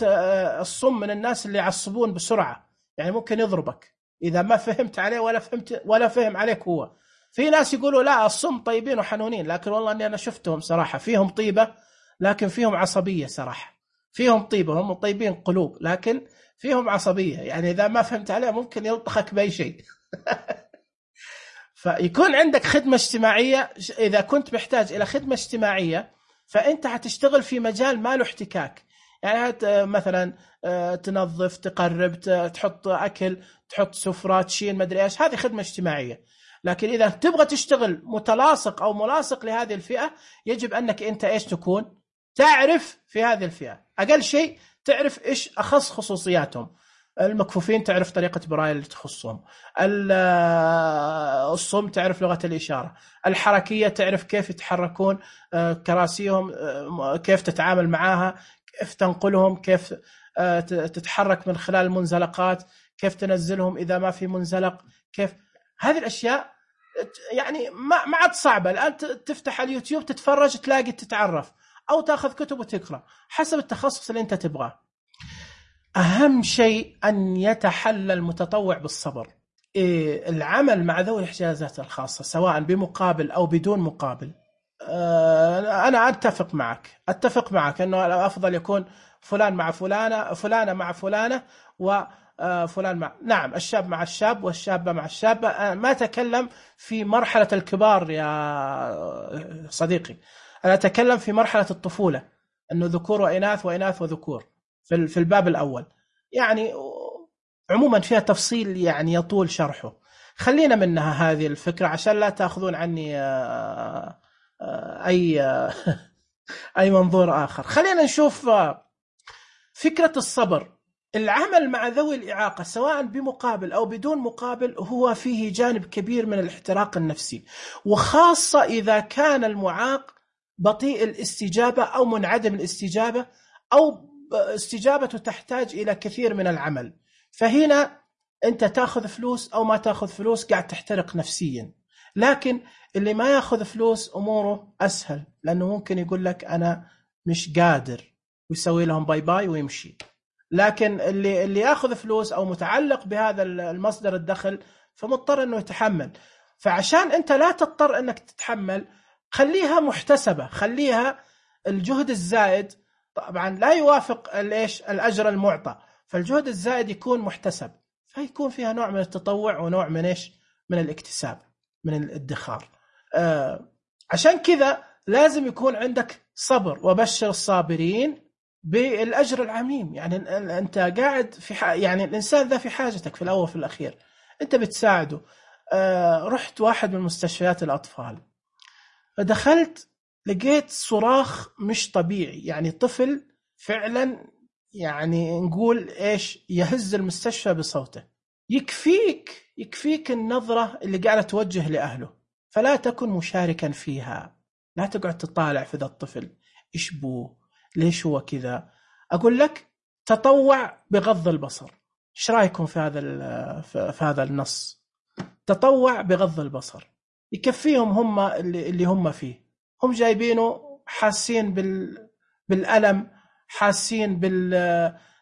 الصم من الناس اللي يعصبون بسرعة، يعني ممكن يضربك إذا ما فهمت عليه ولا فهمت ولا فهم عليك هو. في ناس يقولوا لا الصم طيبين وحنونين، لكن والله أني أنا شفتهم صراحة فيهم طيبة لكن فيهم عصبية صراحة. فيهم طيبة هم طيبين قلوب لكن فيهم عصبية، يعني إذا ما فهمت عليه ممكن يلطخك بأي شيء. فيكون عندك خدمة اجتماعية. إذا كنت محتاج إلى خدمة اجتماعية فأنت هتشتغل في مجال ما له احتكاك، يعني مثلا تنظف، تقرب، تحط أكل، تحط سفرة، تشيل مدري إيش، هذه خدمة اجتماعية. لكن إذا تبغى تشتغل متلاصق أو ملاصق لهذه الفئة يجب أنك أنت إيش تكون تعرف في هذه الفئة، أقل شيء تعرف إيش أخص خصوصياتهم. المكفوفين تعرف طريقة برايل اللي تخصهم، الصم تعرف لغة الإشارة، الحركية تعرف كيف يتحركون كراسيهم، كيف تتعامل معها، كيف تنقلهم، كيف تتحرك من خلال المنزلقات، كيف تنزلهم إذا ما في منزلق، كيف هذه الأشياء يعني ما ما عاد صعبة. الآن تفتح اليوتيوب تتفرج تلاقي تتعرف، أو تأخذ كتب وتقرأ حسب التخصص اللي أنت تبغاه. أهم شيء أن يتحلى المتطوع بالصبر. إيه العمل مع ذوي الاحتياجات الخاصة سواء بمقابل أو بدون مقابل، آه أنا أتفق معك أتفق معك أنه الأفضل يكون فلان مع فلانة، فلانة مع فلانة، وفلان مع نعم الشاب مع الشاب والشابة مع الشابة. ما أتكلم في مرحلة الكبار يا صديقي، أنا أتكلم في مرحلة الطفولة، أنه ذكور وإناث وإناث وذكور في في الباب الأول. يعني عموما فيها تفصيل يعني يطول شرحه. خلينا منها هذه الفكرة عشان لا تأخذون عني أي أي منظور آخر. خلينا نشوف فكرة الصبر. العمل مع ذوي الإعاقة سواء بمقابل أو بدون مقابل هو فيه جانب كبير من الاحتراق النفسي، وخاصة إذا كان المعاق بطيء الاستجابة أو منعدم الاستجابة أو استجابته تحتاج إلى كثير من العمل. فهنا أنت تأخذ فلوس أو ما تأخذ فلوس قاعد تحترق نفسيا. لكن اللي ما يأخذ فلوس أموره أسهل، لأنه ممكن يقول لك أنا مش قادر ويسوي لهم باي باي ويمشي. لكن اللي اللي يأخذ فلوس أو متعلق بهذا المصدر الدخل فمضطر أنه يتحمل. فعشان أنت لا تضطر أنك تتحمل خليها محتسبة، خليها الجهد الزائد طبعا لا يوافق الايش الاجر المعطى، فالجهد الزائد يكون محتسب، فيكون فيها نوع من التطوع ونوع من ايش من الاكتساب من الادخار. آه عشان كذا لازم يكون عندك صبر، وبشر الصابرين بالاجر العميم. يعني انت قاعد في يعني الانسان ذا في حاجتك في الاول في الاخير، انت بتساعده. آه رحت واحد من مستشفيات الاطفال فدخلت لقيت صراخ مش طبيعي، يعني طفل فعلا يعني نقول إيش يهز المستشفى بصوته. يكفيك يكفيك النظرة اللي قاعدة توجه لأهله، فلا تكن مشاركا فيها. لا تقعد تطالع في ذا الطفل إيش بوه، ليش هو كذا. أقول لك تطوع بغض البصر. إيش رأيكم في هذا في هذا النص؟ تطوع بغض البصر يكفيهم هم اللي, اللي هم فيه. هم جايبينه حاسين بال... بالألم، حاسين بال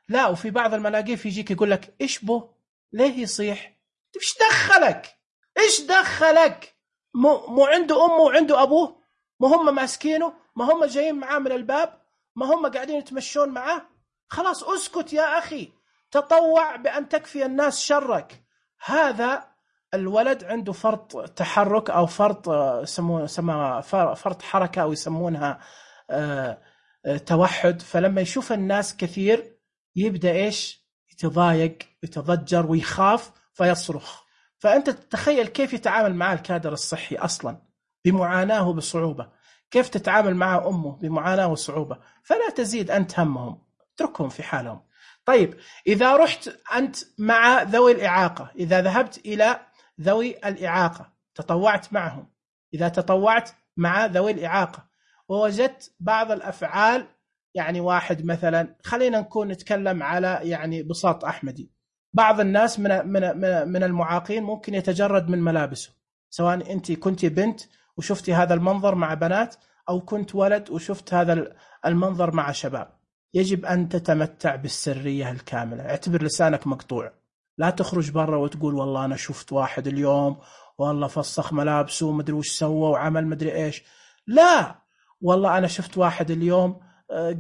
لا. وفي بعض الملاقيف يجيك يقول لك إيش بو، ليه يصيح؟ إيش دخلك؟ إيش دخلك؟ مو, مو عنده أمه وعنده أبوه؟ ما هم ماسكينه؟ ما هم جايين معاه من الباب؟ ما هم قاعدين يتمشون معاه؟ خلاص أسكت يا أخي، تطوع بأن تكفي الناس شرك. هذا الولد عنده فرط تحرك أو فرط يسمونه سما فرط حركة أو يسمونها توحد. فلما يشوف الناس كثير يبدأ إيش يتضايق يتضجر ويخاف فيصرخ. فأنت تتخيل كيف يتعامل مع الكادر الصحي أصلا بمعاناة وبصعوبة، كيف تتعامل مع أمه بمعاناة وصعوبة. فلا تزيد أنت همهم، اتركهم في حالهم. طيب إذا رحت أنت مع ذوي الإعاقة، إذا ذهبت إلى ذوي الإعاقة تطوعت معهم، إذا تطوعت مع ذوي الإعاقة ووجدت بعض الأفعال، يعني واحد مثلا، خلينا نكون نتكلم على يعني بساط أحمدي، بعض الناس من من من المعاقين ممكن يتجرد من ملابسه، سواء أنت كنت بنت وشفتي هذا المنظر مع بنات، أو كنت ولد وشفت هذا المنظر مع شباب. يجب أن تتمتع بالسرية الكاملة، اعتبر لسانك مقطوع، لا تخرج برا وتقول والله أنا شفت واحد اليوم والله فسخ ملابسه ومدري وش سوى وعمل مدري إيش. لا، والله أنا شفت واحد اليوم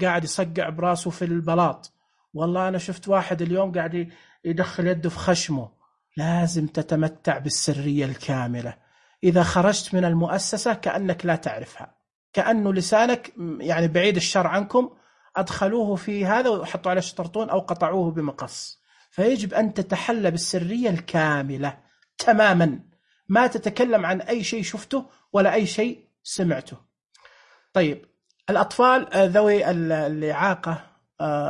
قاعد يصقع براسه في البلاط، والله أنا شفت واحد اليوم قاعد يدخل يده في خشمه. لازم تتمتع بالسرية الكاملة. إذا خرجت من المؤسسة كأنك لا تعرفها، كأنه لسانك يعني بعيد الشر عنكم، أدخلوه في هذا وحطوا عليه شطرطون أو قطعوه بمقص. فيجب أن تتحلى بالسرية الكاملة تماما، ما تتكلم عن أي شيء شفته ولا أي شيء سمعته. طيب، الأطفال ذوي الإعاقة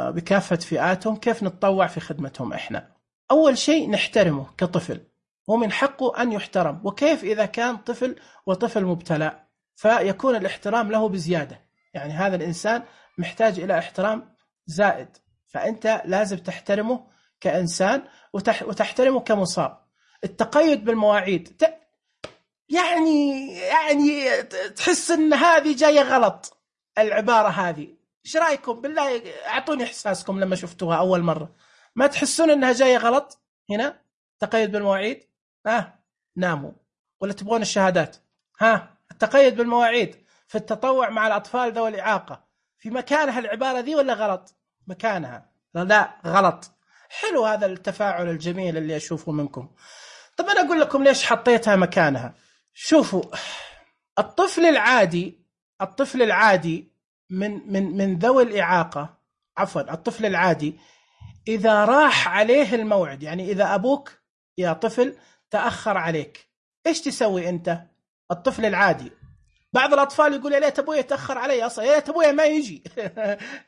بكافة فئاتهم كيف نتطوع في خدمتهم إحنا؟ أول شيء نحترمه كطفل، ومن حقه أن يحترم. وكيف إذا كان طفل وطفل مبتلى؟ فيكون الاحترام له بزيادة، يعني هذا الإنسان محتاج إلى احترام زائد، فأنت لازم تحترمه كإنسان وتحترمه كمصاب. التقيد بالمواعيد، يعني يعني تحس أن هذه جاية غلط العبارة هذه. إيش رأيكم بالله؟ أعطوني إحساسكم لما شفتوها أول مرة. ما تحسون أنها جاية غلط هنا؟ تقيد بالمواعيد، ها ناموا ولا تبغون الشهادات؟ ها التقيد بالمواعيد في التطوع مع الأطفال ذوي الإعاقة في مكانها العبارة ذي ولا غلط؟ مكانها؟ لا غلط. حلو هذا التفاعل الجميل اللي أشوفه منكم. طب أنا أقول لكم ليش حطيتها مكانها. شوفوا، الطفل العادي الطفل العادي من من من ذوي الإعاقة، عفوا الطفل العادي إذا راح عليه الموعد، يعني إذا أبوك يا طفل تأخر عليك، إيش تسوي أنت؟ الطفل العادي، بعض الأطفال يقول يا ليت أبوي يتأخر علي أصلا، يا ليت أبوي ما يجي.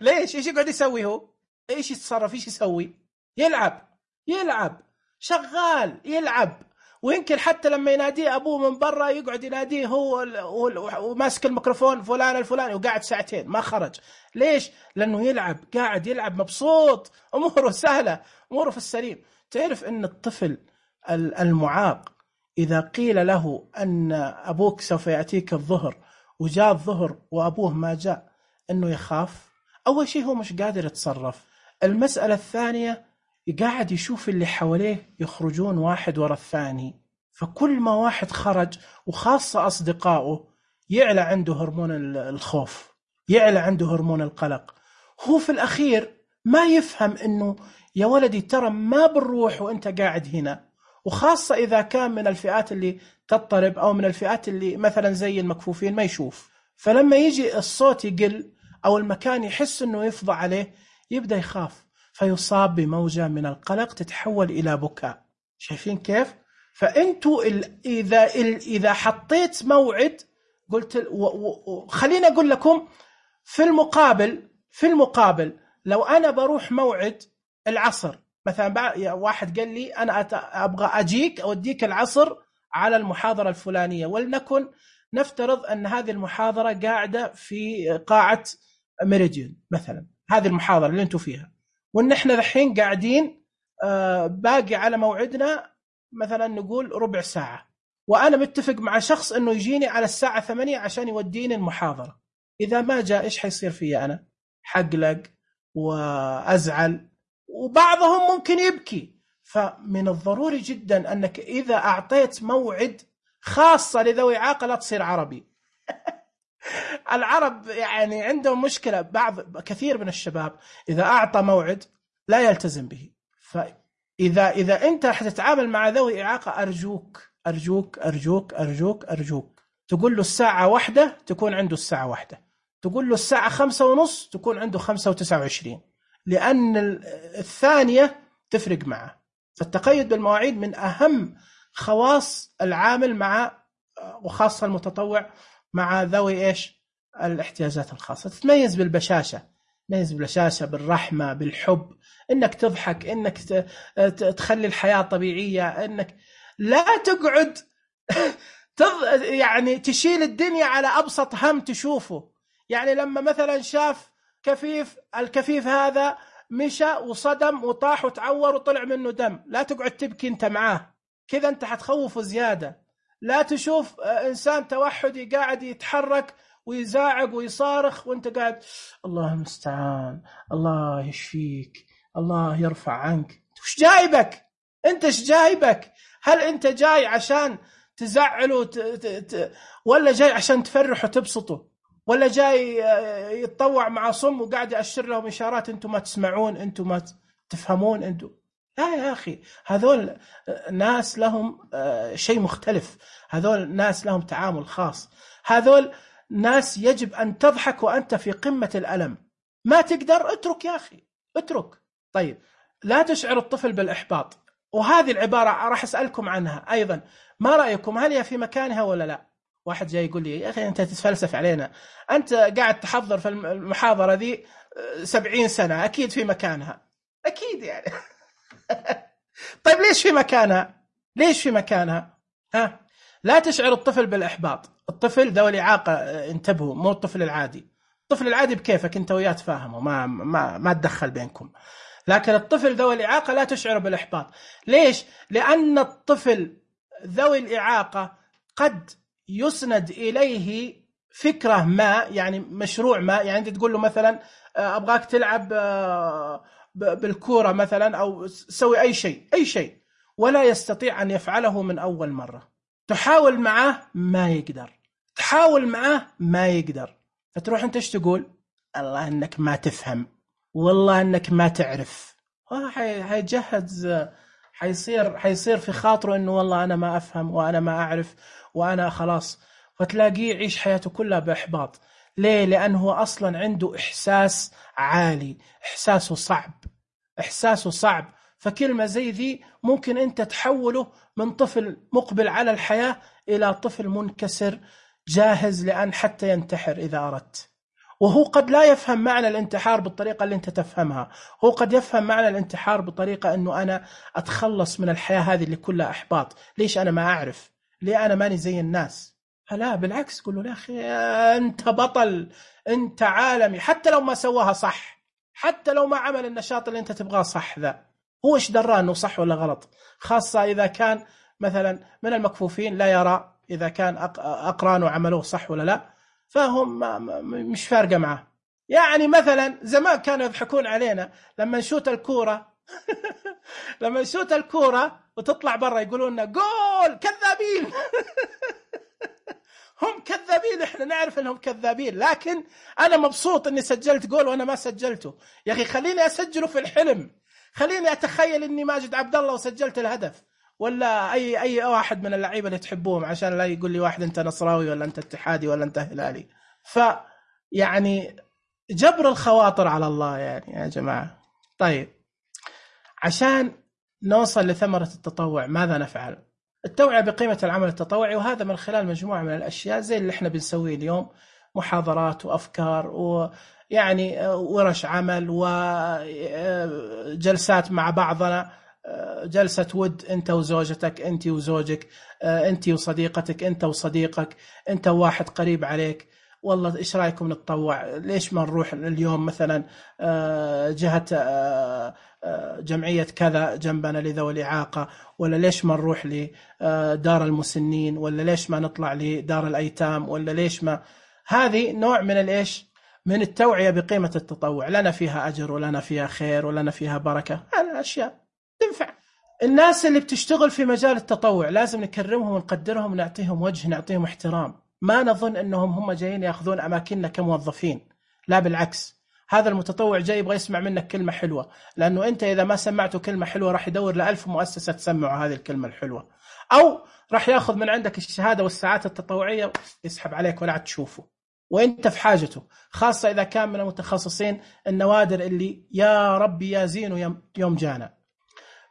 ليش؟ إيش يقعد يسوي هو؟ إيش يتصرف؟ إيش يسوي؟ يلعب يلعب شغال يلعب. ويمكن حتى لما يناديه أبوه من برا يقعد يناديه هو وماسك الميكروفون فلان الفلاني وقاعد ساعتين ما خرج. ليش؟ لأنه يلعب، قاعد يلعب مبسوط، أموره سهلة، أموره في السليم. تعرف أن الطفل المعاق إذا قيل له أن أبوك سوف يأتيك الظهر وجاء الظهر وأبوه ما جاء، أنه يخاف. أول شيء هو مش قادر يتصرف. المسألة الثانية قاعد يشوف اللي حواليه يخرجون واحد ورا الثاني، فكل ما واحد خرج وخاصة أصدقائه يعلى عنده هرمون الخوف، يعلى عنده هرمون القلق. هو في الأخير ما يفهم أنه يا ولدي ترى ما بنروح وأنت قاعد هنا، وخاصة إذا كان من الفئات اللي تضطرب أو من الفئات اللي مثلا زي المكفوفين ما يشوف. فلما يجي الصوت يقل أو المكان يحس أنه يفضى عليه يبدأ يخاف، فيصاب بموجة من القلق تتحول إلى بكاء. شايفين كيف؟ فأنتوا إذا إذا حطيت موعد، قلت خليني أقول لكم في المقابل في المقابل لو أنا بروح موعد العصر مثلا، واحد قال لي أنا أبغى أجيك أوديك العصر على المحاضرة الفلانية، ولنكن نفترض أن هذه المحاضرة قاعدة في قاعة ميريديان مثلا، هذه المحاضرة اللي أنتوا فيها، وإن إحنا الحين قاعدين باقي على موعدنا مثلا نقول ربع ساعة، وأنا متفق مع شخص أنه يجيني على الساعة ثمانية عشان يوديني المحاضرة. إذا ما جاء إيش حيصير فيا أنا؟ حقلق وأزعل، وبعضهم ممكن يبكي. فمن الضروري جدا أنك إذا أعطيت موعد خاصة لذوي إعاقة لا تصير عربي. العرب يعني عندهم مشكلة، بعض كثير من الشباب إذا أعطى موعد لا يلتزم به. فإذا إذا أنت حتتعامل مع ذوي إعاقة أرجوك أرجوك أرجوك أرجوك أرجوك تقول له الساعة واحدة تكون عنده الساعة واحدة، تقول له الساعة خمسة ونص تكون عنده خمسة وتسعة وعشرين، لأن الثانية تفرق معه. فالتقيد بالمواعيد من أهم خواص العامل مع وخاصة المتطوع مع ذوي إيش الاحتياجات الخاصة. تتميز بالبشاشة، تميز بالبشاشة، بالرحمة، بالحب، إنك تضحك، إنك تخلي الحياة طبيعية، إنك لا تقعد تض... يعني تشيل الدنيا على أبسط هم تشوفه. يعني لما مثلا شاف كفيف، الكفيف هذا مشى وصدم وطاح وتعور وطلع منه دم، لا تقعد تبكي انت معاه، كذا انت حتخوفه زيادة. لا تشوف انسان توحدي قاعد يتحرك ويزاعق ويصارخ وانت قاعد الله المستعان، الله يشفيك، الله يرفع عنك. وش جايبك انت؟ ايش جايبك؟ هل انت جاي عشان تزعله ت... ت... ت... ولا جاي عشان تفرح وتبسطه؟ ولا جاي يتطوع مع صم وقاعد يأشر لهم إشارات أنتم ما تسمعون، أنتم ما تفهمون أنتم؟ لا يا أخي، هذول ناس لهم شيء مختلف، هذول ناس لهم تعامل خاص، هذول ناس يجب أن تضحك وأنت في قمة الألم. ما تقدر اترك يا أخي، اترك. طيب، لا تشعر الطفل بالإحباط، وهذه العبارة راح أسألكم عنها أيضا، ما رأيكم؟ هل هي في مكانها ولا لا؟ واحد جاي يقول لي يا أخي أنت تتفلسف علينا، أنت قاعد تحضر في المحاضرة ذي سبعين سنة، أكيد في مكانها، أكيد يعني. طيب ليش في مكانها؟ ليش في مكانها؟ ها؟ لا تشعر الطفل بالإحباط. الطفل ذوي الإعاقة انتبهوا، مو الطفل العادي. الطفل العادي بكيفك أنت وياه تفاهمه، ما ما ما تدخل بينكم. لكن الطفل ذوي الإعاقة لا تشعر بالإحباط. ليش؟ لأن الطفل ذوي الإعاقة قد يسند إليه فكرة ما، يعني مشروع ما. يعني أنت تقول له مثلا أبغاك تلعب بالكورة مثلا، أو سوي أي شيء أي شيء، ولا يستطيع أن يفعله من أول مرة. تحاول معه ما يقدر، تحاول معه ما يقدر، فتروح أنت إيش تقول؟ الله أنك ما تفهم، والله أنك ما تعرف. حيجهز، حيصير حيصير في خاطره إنه والله أنا ما أفهم وأنا ما أعرف وأنا خلاص، فتلاقيه يعيش حياته كلها بإحباط. ليه؟ لأنه أصلا عنده إحساس عالي، إحساسه صعب، إحساسه صعب. فكلمة زي ذي ممكن أنت تحوله من طفل مقبل على الحياة إلى طفل منكسر جاهز لأن حتى ينتحر إذا أردت. وهو قد لا يفهم معنى الانتحار بالطريقة اللي أنت تفهمها، هو قد يفهم معنى الانتحار بطريقة أنه أنا أتخلص من الحياة هذه اللي كلها إحباط. ليش أنا ما أعرف؟ ليه أنا ماني زي الناس؟ لا بالعكس، قل له يا أخي أنت بطل، أنت عالمي. حتى لو ما سواها صح، حتى لو ما عمل النشاط اللي أنت تبغاه صح، ذا هو إيش دراه أنه صح ولا غلط؟ خاصة إذا كان مثلا من المكفوفين لا يرى إذا كان أقرانه عملوه صح ولا لا، فهم مش فارقة معه. يعني مثلا زمان كانوا يضحكون علينا لما نشوت الكورة لما نشوت الكورة وتطلع برا يقولون لنا جول، كذابين. هم كذابين، احنا نعرف انهم كذابين، لكن انا مبسوط اني سجلت جول وانا ما سجلته. يا اخي خليني اسجله في الحلم، خليني اتخيل اني ماجد عبد الله وسجلت الهدف، ولا اي اي واحد من اللعيبه اللي تحبوهم، عشان لا يقول لي واحد انت نصراوي ولا انت اتحادي ولا انت هلالي. ف يعني جبر الخواطر على الله يعني يا جماعه. طيب، عشان نوصل لثمره التطوع ماذا نفعل؟ التوعية بقيمة العمل التطوعي، وهذا من خلال مجموعة من الأشياء زي اللي احنا بنسويه اليوم، محاضرات وأفكار ويعني ورش عمل وجلسات مع بعضنا، جلسة ود أنت وزوجتك، أنت وزوجك، أنت وصديقتك، أنت وصديقك، أنت وواحد قريب عليك. والله إيش رأيكم نتطوع؟ ليش ما نروح اليوم مثلا جهة جمعية كذا جنبنا لذوي الإعاقة، ولا ليش ما نروح لدار المسنين، ولا ليش ما نطلع لدار الأيتام، ولا ليش ما. هذه نوع من الإيش؟ من التوعية بقيمة التطوع، لنا فيها أجر ولنا فيها خير ولنا فيها بركة. هذه أشياء تنفع. الناس اللي بتشتغل في مجال التطوع لازم نكرمهم ونقدرهم ونعطيهم وجه، نعطيهم احترام. ما نظن أنهم هم جايين يأخذون أماكننا كموظفين، لا بالعكس. هذا المتطوع جاي يبغى يسمع منك كلمة حلوة، لأنه أنت إذا ما سمعته كلمة حلوة راح يدور لألف مؤسسة تسمعه هذه الكلمة الحلوة، أو راح يأخذ من عندك الشهادة والساعات التطوعية يسحب عليك ولا عاد تشوفه، وأنت في حاجته. خاصة إذا كان من المتخصصين النوادر اللي يا ربي يا زين يوم جانا.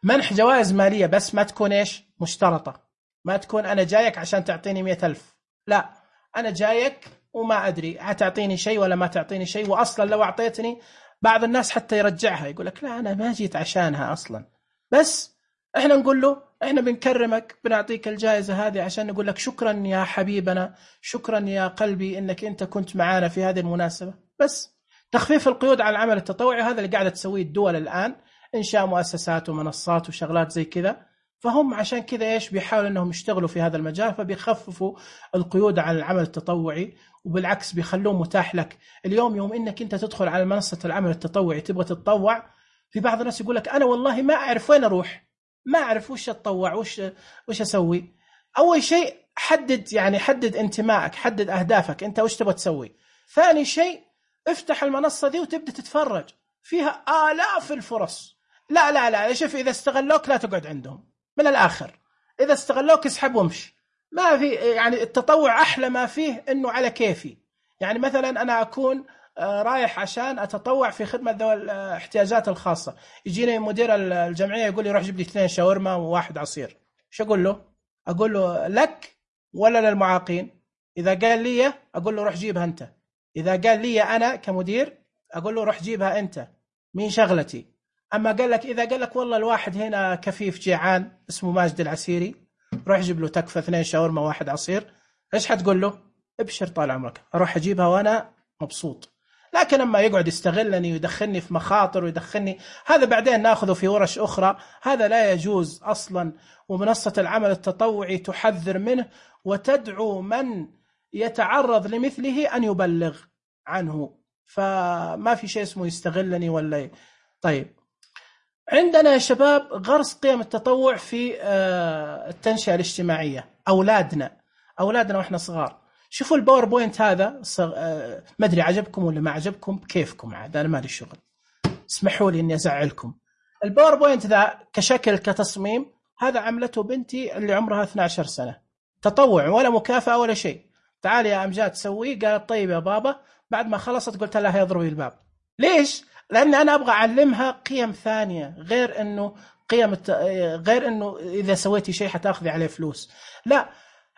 منح جوائز مالية، بس ما تكون إيش؟ مشترطة. ما تكون أنا جايك عشان تعطيني مئة ألف، لا، أنا جايك وما أدري هتعطيني شيء ولا ما تعطيني شيء، وأصلا لو أعطيتني بعض الناس حتى يرجعها، يقول لك لا أنا ما جيت عشانها أصلا، بس احنا نقول له احنا بنكرمك، بنعطيك الجائزة هذه عشان نقول لك شكرا يا حبيبنا، شكرا يا قلبي انك انت كنت معانا في هذه المناسبة. بس تخفيف القيود على العمل التطوعي هذا اللي قاعدة تسويه الدول الآن، إنشاء مؤسسات ومنصات وشغلات زي كذا. فهم عشان كذا إيش بيحاولوا إنهم يشتغلوا في هذا المجال، فبيخففوا القيود على العمل التطوعي، وبالعكس بيخلوه متاح لك. اليوم يوم إنك أنت تدخل على منصة العمل التطوعي تبغى تتطوع، في بعض الناس يقول لك أنا والله ما أعرف وين أروح، ما أعرف وش أتطوع، وش وش أسوي. أول شيء حدد، يعني حدد انتمائك، حدد أهدافك، أنت وش تبغى تسوي. ثاني شيء افتح المنصة دي وتبدأ تتفرج، فيها آلاف الفرص. لا لا لا شوف، إذا استغلوك لا تقعد عندهم، من الآخر إذا استغلوك اسحب وامشي. ما في يعني التطوع أحلى ما فيه إنه على كيفي. يعني مثلا أنا أكون رايح عشان أتطوع في خدمة ذوي الاحتياجات الخاصة، يجيني مدير الجمعية يقول لي روح جيب لي اثنين شاورما وواحد عصير، شو أقول له؟ أقول له لك ولا للمعاقين؟ إذا قال لي أقول له روح جيبها أنت. إذا قال لي أنا كمدير أقول له روح جيبها أنت، مين شغلتي. أما قال لك إذا قال لك والله الواحد هنا كفيف جيعان اسمه ماجد العسيري، روح جيب له تكفى اثنين شاورما واحد عصير، إيش حتقول له؟ ابشر طال عمرك، أروح أجيبها وأنا مبسوط. لكن أما يقعد يستغلني ويدخلني في مخاطر ويدخلني، هذا بعدين ناخذه في ورش أخرى، هذا لا يجوز أصلا. ومنصة العمل التطوعي تحذر منه وتدعو من يتعرض لمثله أن يبلغ عنه، فما في شيء اسمه يستغلني ولا. طيب عندنا يا شباب غرس قيم التطوع في التنشئة الاجتماعية. أولادنا أولادنا وإحنا صغار، شوفوا الباوربوينت هذا صغ... ما أدري عجبكم ولا ما عجبكم، كيفكم عاد، أنا ما لي شغل، اسمحوا لي إني أزعلكم. الباوربوينت ذا كشكل كتصميم هذا عملته بنتي اللي عمرها اثنتي عشرة سنة، تطوع ولا مكافأة ولا شيء. تعالي يا أمجاد تسوي، قالت طيب يا بابا. بعد ما خلصت قلت لها يضربي الباب. ليش؟ لأن أنا أبغى أعلمها قيم ثانية، غير إنه قيم الت... غير إنه إذا سويتي شيء حتأخذي عليه فلوس. لا،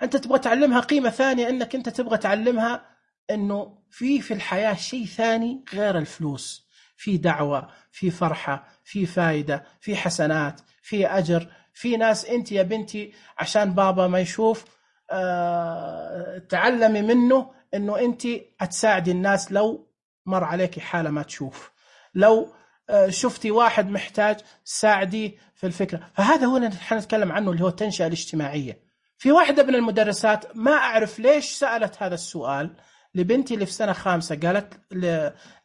أنت تبغى تعلمها قيمة ثانية، إنك أنت تبغى تعلمها إنه في في الحياة شيء ثاني غير الفلوس، في دعوة، في فرحة، في فائدة، في حسنات، في أجر، في ناس. أنت يا بنتي عشان بابا ما يشوف أه... تعلمي منه إنه أنت هتساعدي الناس لو مر عليك حالة ما تشوف، لو شفتي واحد محتاج ساعدي في الفكرة. فهذا هو اللي نتكلم عنه، اللي هو التنشئة الاجتماعية. في واحدة من المدرسات ما أعرف ليش سألت هذا السؤال لبنتي اللي في سنة خامسة، قالت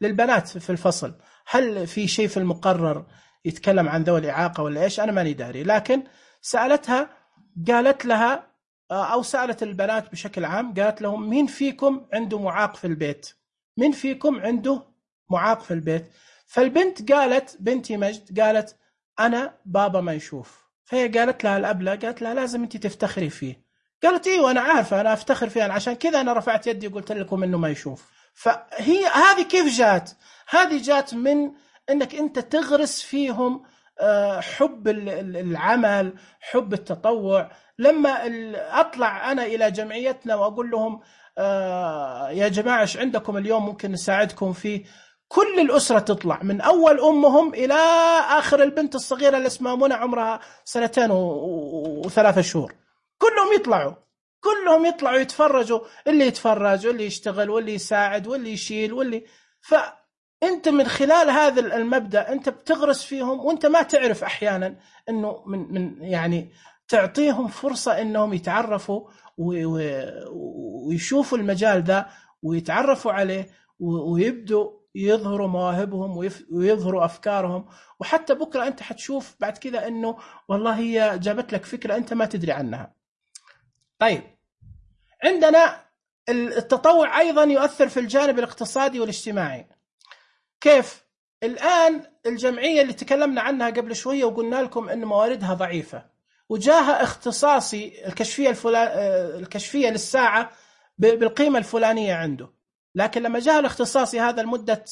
للبنات في الفصل هل في شيء في المقرر يتكلم عن ذوي الإعاقة ولا إيش، أنا ماني داري. لكن سألتها، قالت لها أو سألت البنات بشكل عام، قالت لهم مين فيكم عنده معاق في البيت؟ مين فيكم عنده معاق في البيت؟ فالبنت قالت، بنتي مجد قالت أنا بابا ما يشوف. فهي قالت لها الأبلة، قالت لها لازم أنت تفتخري فيه. قالت إيوه أنا عارفة، أنا أفتخر فيه، عشان كذا أنا رفعت يدي وقلت لكم إنه ما يشوف. فهي هذه كيف جات؟ هذه جات من إنك أنت تغرس فيهم حب العمل، حب التطوع. لما أطلع أنا إلى جمعيتنا وأقول لهم يا جماعة إيش عندكم اليوم ممكن نساعدكم فيه، كل الأسرة تطلع، من أول أمهم إلى آخر البنت الصغيرة اللي اسمها منى عمرها سنتين وثلاثة شهور، كلهم يطلعوا كلهم يطلعوا يتفرجوا، اللي يتفرج واللي يشتغل واللي يساعد واللي يشيل واللي. فأنت من خلال هذا المبدأ أنت بتغرس فيهم، وأنت ما تعرف أحيانا أنه من من يعني تعطيهم فرصة أنهم يتعرفوا ويشوفوا المجال ذا ويتعرفوا عليه ويبدوا يظهروا مواهبهم ويظهروا أفكارهم. وحتى بكرة أنت حتشوف بعد كذا أنه والله هي جابت لك فكرة أنت ما تدري عنها. طيب عندنا التطوع أيضا يؤثر في الجانب الاقتصادي والاجتماعي. كيف؟ الآن الجمعية اللي تكلمنا عنها قبل شوية وقلنا لكم أن مواردها ضعيفة، وجاها اختصاصي الكشفية, الكشفية للساعة بالقيمة الفلانية عنده، لكن لما جاء الاختصاصي هذا لمدة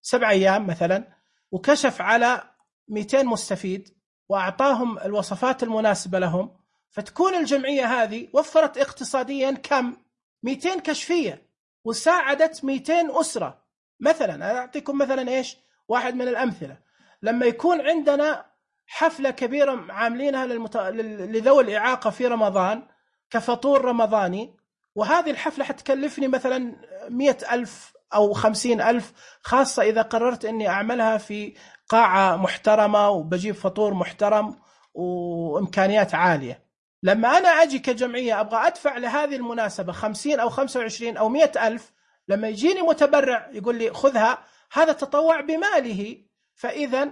سبع أيام مثلا وكشف على مئتين مستفيد وأعطاهم الوصفات المناسبة لهم، فتكون الجمعية هذه وفرت اقتصاديا كم؟ مئتين كشفية وساعدت مئتين أسرة. مثلا أعطيكم مثلا إيش واحد من الأمثلة، لما يكون عندنا حفلة كبيرة عاملينها للمت... لذوي الإعاقة في رمضان كفطور رمضاني، وهذه الحفلة حتكلفني مثلا مئة ألف أو خمسين ألف، خاصة إذا قررت أني أعملها في قاعة محترمة وبجيب فطور محترم وإمكانيات عالية. لما أنا أجي كجمعية أبغى أدفع لهذه المناسبة خمسين أو خمسة وعشرين أو مئة ألف، لما يجيني متبرع يقول لي خذها، هذا تطوع بماله. فإذا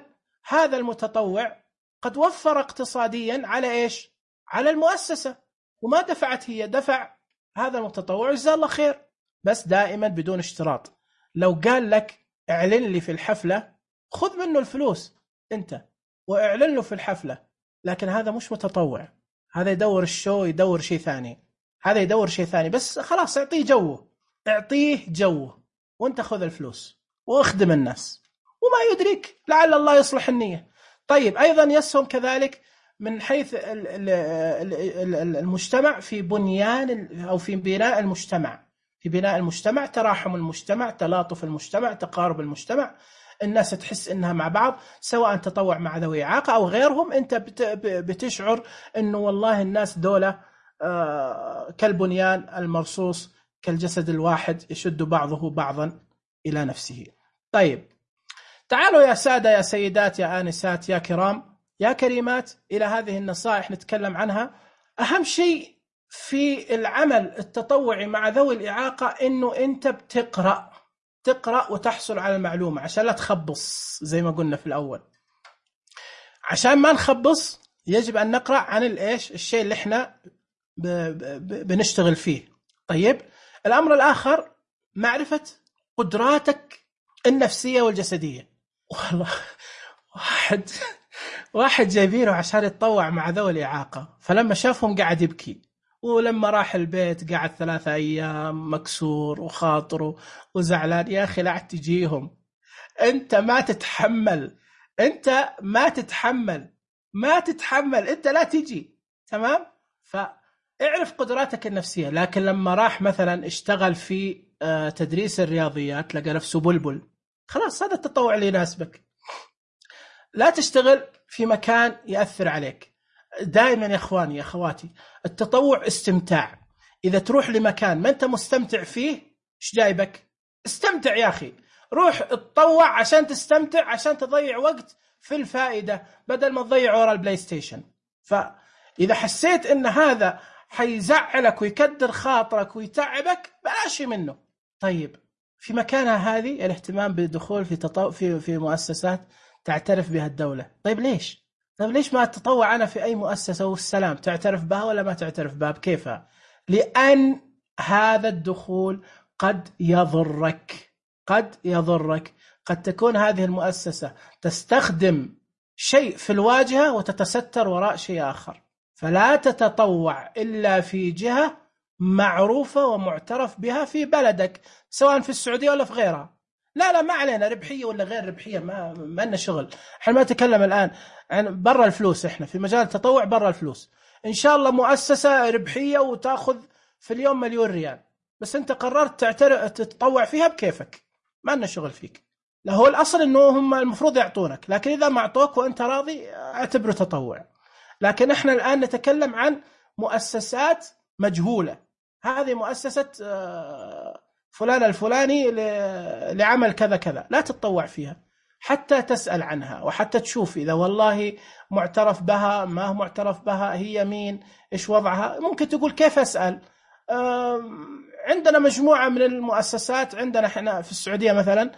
هذا المتطوع قد وفر اقتصاديا على إيش؟ على المؤسسة، وما دفعت هي، دفع هذا المتطوع جزاه الله خير. بس دائما بدون اشتراط. لو قال لك اعلن لي في الحفلة، خذ منه الفلوس أنت واعلن له في الحفلة، لكن هذا مش متطوع، هذا يدور الشو، يدور شيء ثاني، هذا يدور شيء ثاني. بس خلاص اعطيه جوه، اعطيه جوه وانت خذ الفلوس واخدم الناس، وما يدرك لعل الله يصلح النية. طيب أيضا يسهم كذلك من حيث المجتمع في بنيان أو في بناء المجتمع، في بناء المجتمع، تراحم المجتمع، تلاطف المجتمع، تقارب المجتمع، الناس تحس إنها مع بعض، سواء تطوع مع ذوي إعاقة أو غيرهم. أنت بتشعر إنه والله الناس دولة كالبنيان المرصوص، كالجسد الواحد يشد بعضه بعضا إلى نفسه. طيب تعالوا يا سادة، يا سيدات، يا آنسات، يا كرام، يا كريمات، إلى هذه النصائح نتكلم عنها. أهم شيء في العمل التطوعي مع ذوي الإعاقة إنه أنت بتقرأ تقرأ وتحصل على المعلومة، عشان لا تخبص زي ما قلنا في الأول. عشان ما نخبص يجب أن نقرأ عن الإيش الشيء اللي إحنا بنشتغل فيه. طيب الأمر الآخر معرفة قدراتك النفسية والجسدية. والله واحد واحد جايبينه عشان يتطوع مع ذوي الإعاقة، فلما شافهم قاعد يبكي، ولما راح البيت قاعد ثلاثة أيام مكسور وخاطره وزعلان. يا أخي لا تجيهم، أنت ما تتحمل، أنت ما تتحمل ما تتحمل أنت لا تجي، تمام؟ فاعرف قدراتك النفسية. لكن لما راح مثلا اشتغل في تدريس الرياضيات لقى نفسه بلبل، خلاص هذا التطوع اللي يناسبك. لا تشتغل في مكان يأثر عليك. دائما يا اخواني يا اخواتي، التطوع استمتاع. اذا تروح لمكان ما انت مستمتع فيه، ايش جايبك؟ استمتع يا اخي، روح اتطوع عشان تستمتع، عشان تضيع وقت في الفائدة بدل ما تضيع ورا البلاي ستيشن. فاذا حسيت ان هذا حيزعلك ويكدر خاطرك ويتعبك، بلاش منه. طيب في مكانها هذه الاهتمام بالدخول في تطوع في في مؤسسات تعترف بها الدولة. طيب ليش؟ طيب ليش ما تطوع أنا في أي مؤسسة والسلام؟ تعترف بها ولا ما تعترف بها؟ بكيفها؟ لأن هذا الدخول قد يضرك، قد يضرك. قد تكون هذه المؤسسة تستخدم شيء في الواجهة وتتستر وراء شيء آخر. فلا تتطوع إلا في جهة معروفة ومعترف بها في بلدك، سواء في السعودية ولا في غيرها. لا لا ما علينا ربحية ولا غير ربحية، ما ما لنا شغل. احنا ما نتكلم الآن عن برا الفلوس، احنا في مجال التطوع برا الفلوس. إن شاء الله مؤسسة ربحية وتأخذ في اليوم مليون ريال، بس أنت قررت تعترف تتطوع فيها بكيفك، ما لنا شغل فيك. لا هو الأصل إنه هم المفروض يعطونك، لكن إذا ما أعطوك وأنت راضي اعتبره تطوع. لكن احنا الآن نتكلم عن مؤسسات مجهولة. هذه مؤسسة فلان الفلاني لعمل كذا كذا، لا تتطوع فيها حتى تسأل عنها وحتى تشوف إذا والله معترف بها، ما هو معترف بها، هي مين، إيش وضعها. ممكن تقول كيف أسأل؟ عندنا مجموعة من المؤسسات، عندنا احنا في السعودية مثلا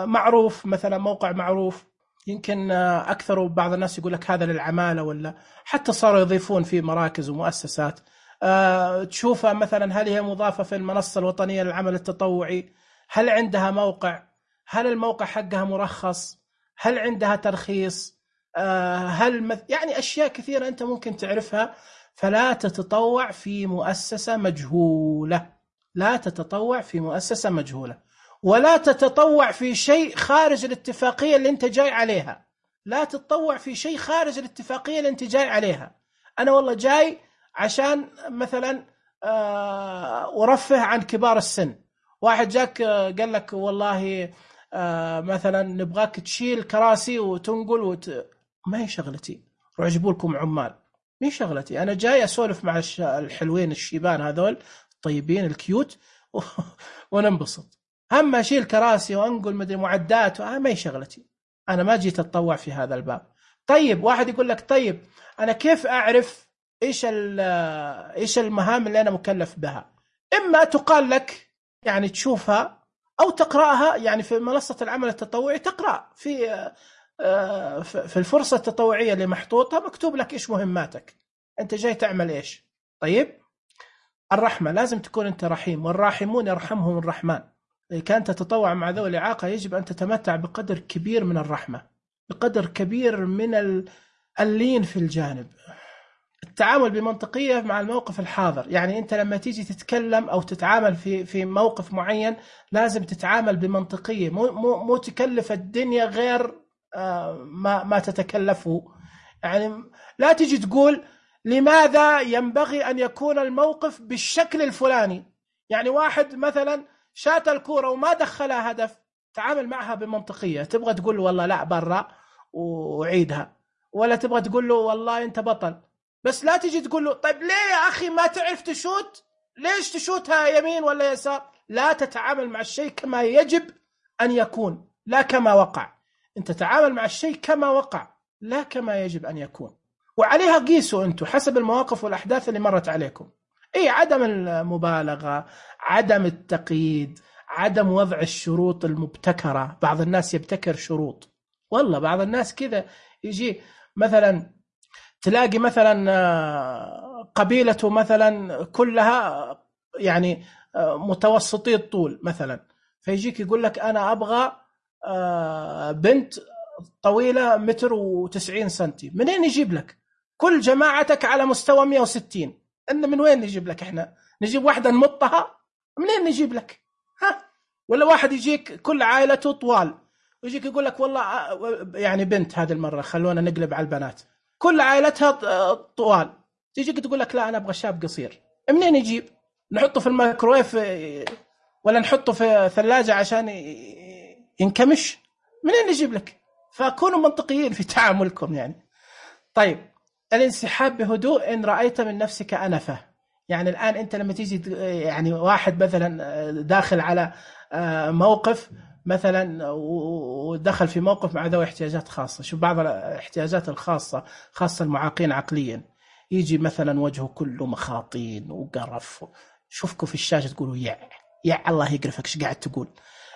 معروف، مثلا موقع معروف يمكن أكثر، بعض الناس يقول لك هذا للعمالة، ولا حتى صاروا يضيفون في مراكز ومؤسسات. أه تشوفها مثلا هل هي مضافة في المنصة الوطنية للعمل التطوعي، هل عندها موقع، هل الموقع حقها مرخص، هل عندها ترخيص، أه هل مث... يعني أشياء كثيرة أنت ممكن تعرفها. فلا تتطوع في مؤسسة مجهولة، لا تتطوع في مؤسسة مجهولة، ولا تتطوع في شيء خارج الاتفاقية اللي أنت جاي عليها. لا تتطوع في شيء خارج الاتفاقية اللي أنت جاي عليها. أنا والله جاي عشان مثلا أرفه عن كبار السن، واحد جاك قال لك والله مثلا نبغاك تشيل كراسي وتنقل وت... ما هي شغلتي. روح جيبوا لكم عمال، مي شغلتي. أنا جاي أسولف مع الحلوين الشيبان هذول الطيبين الكيوت وننبسط. أما أشيل كراسي وأنقل مدري معدات ما هي شغلتي. أنا ما جيت أتطوع في هذا الباب. طيب واحد يقول لك طيب أنا كيف أعرف إيش إيش المهام اللي أنا مكلف بها؟ إما تقال لك يعني تشوفها أو تقرأها، يعني في منصة العمل التطوعي تقرأ في في الفرصة التطوعية اللي محطوطة مكتوب لك إيش مهماتك، أنت جاي تعمل إيش. طيب الرحمة لازم تكون أنت رحيم، والراحمون يرحمهم الرحمن. إذا كانت تتطوع مع ذوي الإعاقة يجب أن تتمتع بقدر كبير من الرحمة، بقدر كبير من اللين في الجانب، التعامل بمنطقية مع الموقف الحاضر. يعني أنت لما تيجي تتكلم أو تتعامل في في موقف معين لازم تتعامل بمنطقية، مو مو مو تكلف الدنيا غير ما ما تتكلفه. يعني لا تيجي تقول لماذا ينبغي أن يكون الموقف بالشكل الفلاني. يعني واحد مثلا شات الكورة وما دخلها هدف، تعامل معها بمنطقية. تبغى تقول له والله لا برا وعيدها، ولا تبغى تقول له والله أنت بطل. بس لا تيجي تقول له طيب ليه يا أخي ما تعرف تشوت، ليش تشوتها يمين ولا يسار. لا تتعامل مع الشيء كما يجب أن يكون لا كما وقع. أنت تتعامل مع الشيء كما وقع لا كما يجب أن يكون، وعليها قيسوا أنتم حسب المواقف والأحداث اللي مرت عليكم. إيه، عدم المبالغة، عدم التقييد، عدم وضع الشروط المبتكرة. بعض الناس يبتكر شروط، والله بعض الناس كذا يجي مثلا تلاقي مثلا قبيلته مثلا كلها يعني متوسطي الطول مثلا، فيجيك يقول لك أنا أبغى بنت طويلة متر وتسعين سنتي. منين يجيب لك؟ كل جماعتك على مستوى مئة وستين، إن من وين نجيب لك؟ إحنا نجيب واحدة نمطها؟ منين نجيب لك؟ ها؟ ولا واحد يجيك كل عائلته طوال ويجيك يقول لك والله يعني بنت هذه المرة خلونا نقلب على البنات كل عائلتها طوال، تيجيك تقول لك لا أنا أبغى شاب قصير. منين يجيب؟ نحطه في الميكرويف ولا نحطه في ثلاجة عشان ينكمش؟ منين يجيب لك؟ فكونوا منطقيين في تعاملكم يعني. طيب الانسحاب بهدوء إن رأيت من نفسك أنفة. يعني الآن أنت لما تيجي يعني واحد مثلا داخل على موقف مثلا ودخل في موقف مع ذوي احتياجات خاصة، شوف بعض الاحتياجات الخاصة خاصة المعاقين عقليا يجي مثلا وجهه كله مخاطين وقرف، شوفكم في الشاشة تقولوا يا يا الله يقرفك ايش قاعد تقول.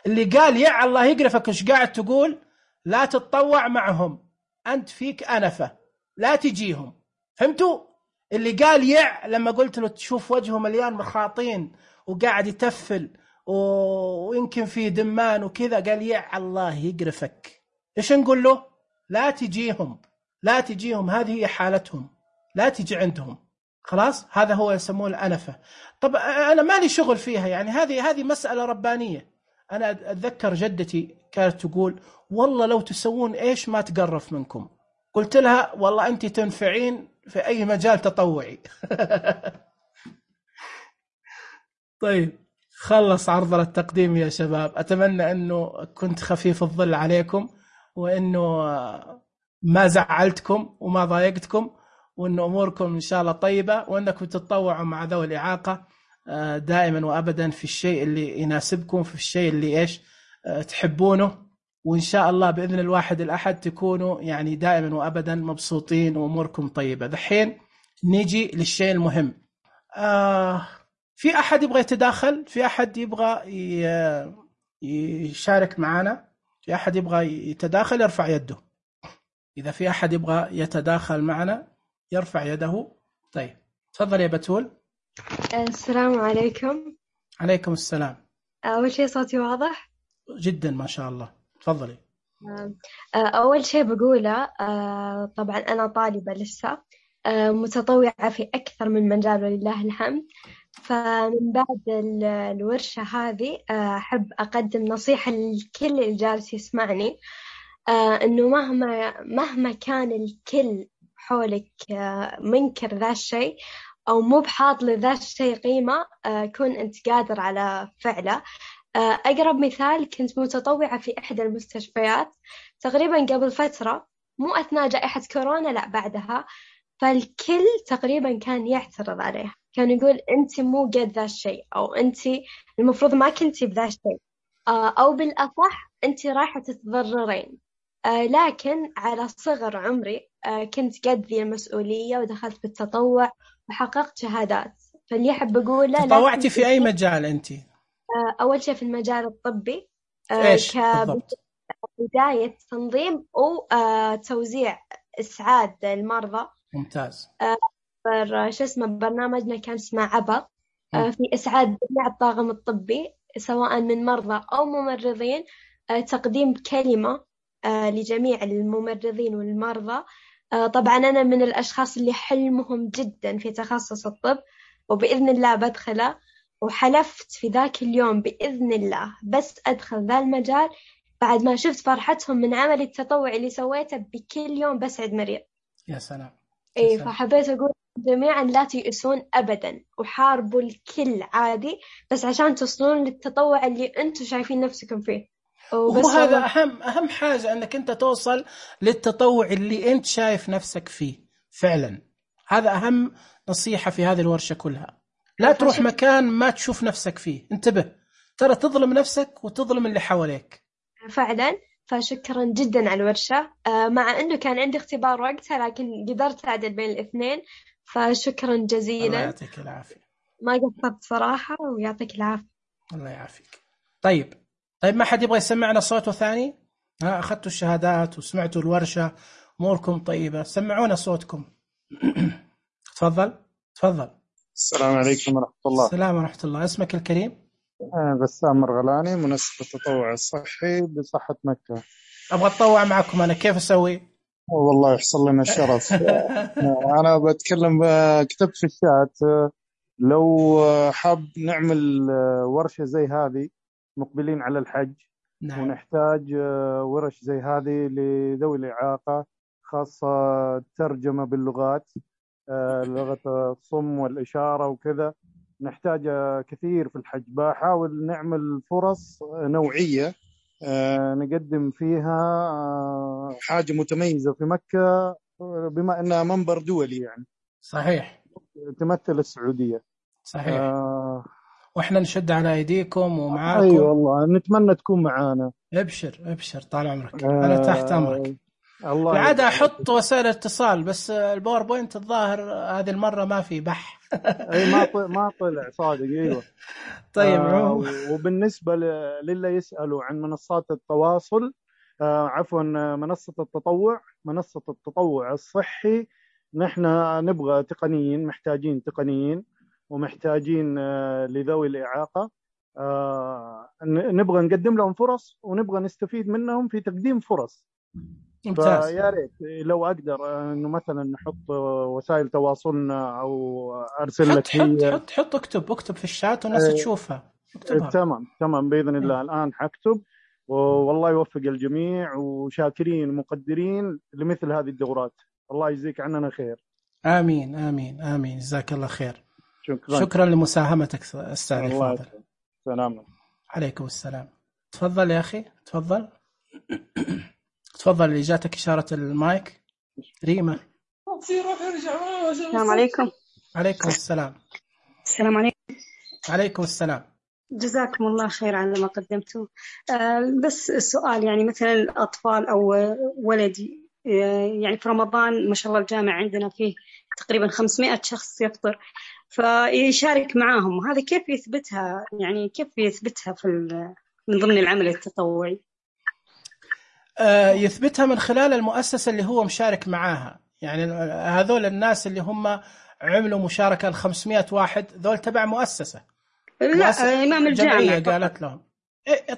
اللي قال يا الله يقرفك ايش قاعد تقول لا تتطوع معهم، أنت فيك أنفة لا تجيهم. فهمتوا؟ اللي قال يع لما قلت له تشوف وجهه مليان مخاطين وقاعد يتفل ويمكن فيه دمان وكذا قال يع الله يقرفك، إيش نقول له؟ لا تجيهم، لا تجيهم، هذه هي حالتهم، لا تجي عندهم. خلاص هذا هو يسمونه الأنفة. طب أنا مالي شغل فيها، يعني هذه هذه مسألة ربانية. أنا أتذكر جدتي كانت تقول والله لو تسوون إيش ما تقرف منكم. قلت لها والله أنت تنفعين في أي مجال تطوعي. طيب خلص عرضنا التقديم يا شباب، أتمنى أنه كنت خفيف الظل عليكم، وأنه ما زعلتكم وما ضايقتكم، وأن أموركم إن شاء الله طيبة، وأنكم تتطوعوا مع ذوي الإعاقة دائما وأبدا في الشيء اللي يناسبكم، في الشيء اللي إيش تحبونه، وإن شاء الله بإذن الواحد الأحد تكونوا يعني دائما وأبدا مبسوطين وأموركم طيبة. دحين نيجي للشيء المهم. آه في أحد يبغى يتداخل؟ في أحد يبغى يشارك معنا؟ في أحد يبغى يتداخل يرفع يده. إذا في أحد يبغى يتداخل معنا يرفع يده. طيب تفضل يا بتول. السلام عليكم. عليكم السلام. أول شيء صوتي واضح؟ جدا ما شاء الله، تفضلي. أول شيء بقوله طبعا أنا طالبة لسه متطوعة في أكثر من مجال ولله الحمد. فمن بعد الورشة هذه أحب أقدم نصيحة لكل اللي جالس يسمعني، إنه مهما مهما كان الكل حولك منكر ذا الشيء أو مو بحاط لذا الشيء قيمة، كون أنت قادر على فعله. أقرب مثال، كنت متطوعة في إحدى المستشفيات تقريبا قبل فترة، مو أثناء جائحة كورونا، لا بعدها. فالكل تقريبا كان يعترض عليها، كان يقول أنت مو قد ذا الشيء، أو أنت المفروض ما كنتي بذا الشيء، أو بالأصح أنت رايحة تتضررين. لكن على صغر عمري كنت قد ذي المسؤولية ودخلت بالتطوع وحققت شهادات. فاللي أحب أقوله، تطوعتي في أي مجال أنت؟ أول شيء في المجال الطبي. إيش بالضبط؟ كبداية تنظيم وتوزيع إسعاد المرضى. ممتاز. شو اسمه برنامجنا كان اسمه عبر، في إسعاد جميع الطاقم الطبي سواء من مرضى أو ممرضين، تقديم كلمة لجميع الممرضين والمرضى. طبعا أنا من الأشخاص اللي حلمهم جدا في تخصص الطب، وبإذن الله بدخله، وحلفت في ذاك اليوم بإذن الله بس أدخل ذا المجال بعد ما شفت فرحتهم من عمل التطوع اللي سويته بكل يوم بسعد مريض. يا سلام. إيه، فحبيت أقول جميعا لا تيأسون أبدا، وحاربوا الكل عادي بس عشان تصلون للتطوع اللي أنتم شايفين نفسكم فيه. وهذا أهم أهم حاجة، أنك أنت توصل للتطوع اللي أنت شايف نفسك فيه فعلا. هذا أهم نصيحة في هذه الورشة كلها. لا تروح مكان ما تشوف نفسك فيه، انتبه، ترى تظلم نفسك وتظلم اللي حواليك فعلا. فشكرا جدا على الورشة، مع أنه كان عندي اختبار وقتها لكن قدرت أعدل بين الاثنين، فشكرا جزيلا. الله يعطيك العافية. ما قصرت صراحة، ويعطيك العافية. الله يعافيك. طيب طيب ما حد يبغى يسمعنا صوته ثاني؟ ها، أخذتوا الشهادات وسمعتوا الورشة، أموركم طيبة، سمعونا صوتكم. تفضل تفضل. السلام عليكم ورحمة الله. السلام ورحمة الله. اسمك الكريم؟ أنا بسام مرغلاني، منسق التطوع الصحي بصحة مكة. أبغى أتطوع معكم أنا، كيف أسوي؟ والله يحصل لنا الشرف. أنا بتكلم، كتبت في الشات لو حاب نعمل ورشة زي هذه مقبلين على الحج. نعم. ونحتاج ورش زي هذه لذوي الإعاقة، خاصة ترجمة باللغات، لغة الصم والإشارة وكذا. نحتاج كثير في الحج. بحاول نعمل فرص نوعية نقدم فيها حاجة متميزة في مكة، بما أنها منبر دولي يعني. صحيح. تمثل السعودية. صحيح. آه وإحنا نشد على أيديكم ومعاكم. أي أيوة والله، نتمنى تكون معانا. ابشر ابشر، طال عمرك. آه أنا تحت أمرك. الله. العادة أحط وسائل اتصال، بس الباوربوينت الظاهر هذه المرة ما في بح. أي ما طلع ما طلع صادق. أيوة. طيب. آه وبالنسبة للي يسألوا عن منصات التواصل، آه عفوا منصة التطوع منصة التطوع الصحي، نحن نبغى تقنيين، محتاجين تقنيين ومحتاجين آه لذوي الإعاقة. آه نبغى نقدم لهم فرص ونبغى نستفيد منهم في تقديم فرص. ممتاز. فيا ريت لو أقدر إنه مثلا نحط وسائل تواصلنا أو أرسل لك. حط حط حط اكتب اكتب في الشات والناس تشوفها. اكتبها. تمام تمام بإذن الله. الآن حكتب، والله يوفق الجميع، وشاكرين مقدرين لمثل هذه الدورات. الله يجزيك عننا خير. آمين آمين آمين. جزاك الله خير. شكرا. شكرا لمساهمتك أستاذ الفاضل. سلام عليكم السلام. تفضل يا أخي تفضل. تفضل، اللي جاتك إشارة المايك. ريما. السلام عليكم. عليكم السلام. السلام عليكم. عليكم السلام. جزاكم الله خير على ما قدمتوا. أه بس السؤال، يعني مثلا الأطفال أو ولدي، يعني في رمضان ما شاء الله الجامع عندنا فيه تقريبا خمسمائة شخص يفطر، فيشارك معاهم. هذا كيف يثبتها؟ يعني كيف يثبتها في من ضمن العمل التطوعي؟ يثبتها من خلال المؤسسة اللي هو مشارك معاها. يعني هذول الناس اللي هم عملوا مشاركة الخمسمائة واحد ذول تبع مؤسسة. لا مؤسسة إمام الجامعة قالت لهم.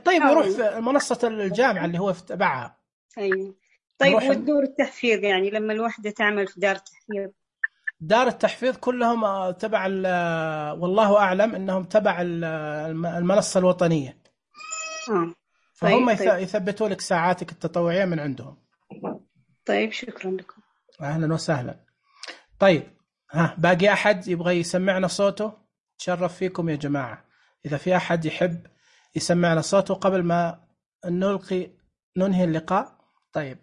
طيب يروح في منصة الجامعة اللي هو تبعها. أيوة. طيب والدور التحفيظ، يعني لما الوحدة تعمل في دار التحفيظ؟ دار التحفيظ كلهم تبع، والله أعلم أنهم تبع المنصة الوطنية. آه. فهم طيب. يثبتوا لك ساعاتك التطوعية من عندهم. طيب شكرا لكم. أهلا وسهلا. طيب ها، باقي أحد يبغى يسمعنا صوته؟ تشرف فيكم يا جماعة. إذا في أحد يحب يسمعنا صوته قبل ما نلقي ننهي اللقاء. طيب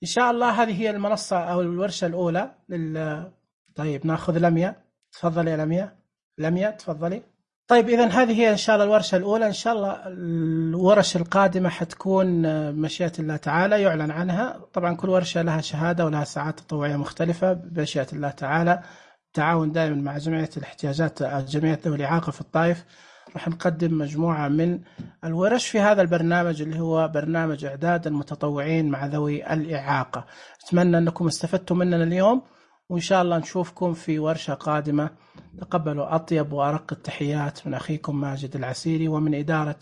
إن شاء الله هذه هي المنصة أو الورشة الأولى لل... طيب نأخذ لميا. تفضلي يا لميا. لميا تفضلي. طيب إذن هذه هي إن شاء الله الورشة الأولى. إن شاء الله الورش القادمة حتكون مشيئة الله تعالى يعلن عنها. طبعا كل ورشة لها شهادة ولها ساعات تطوعية مختلفة بمشيئة الله تعالى، تعاون دائما مع جمعية الاحتياجات جمعية ذوي الإعاقة في الطائف. راح نقدم مجموعة من الورش في هذا البرنامج اللي هو برنامج إعداد المتطوعين مع ذوي الإعاقة. أتمنى أنكم استفدتم مننا اليوم، وإن شاء الله نشوفكم في ورشة قادمة. تقبلوا أطيب وأرق التحيات من أخيكم ماجد العسيري ومن إدارة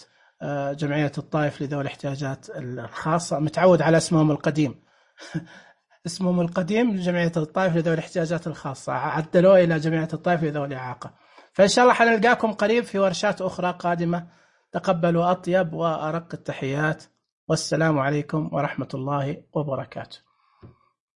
جمعية الطائف لذوي الاحتياجات الخاصة. متعود على اسمهم القديم اسمهم القديم جمعية الطائف لذوي الاحتياجات الخاصة، عدلوه إلى جمعية الطائف لذوي الإعاقة. فإن شاء الله حنلقاكم قريب في ورشات أخرى قادمة. تقبلوا أطيب وأرق التحيات، والسلام عليكم ورحمة الله وبركاته.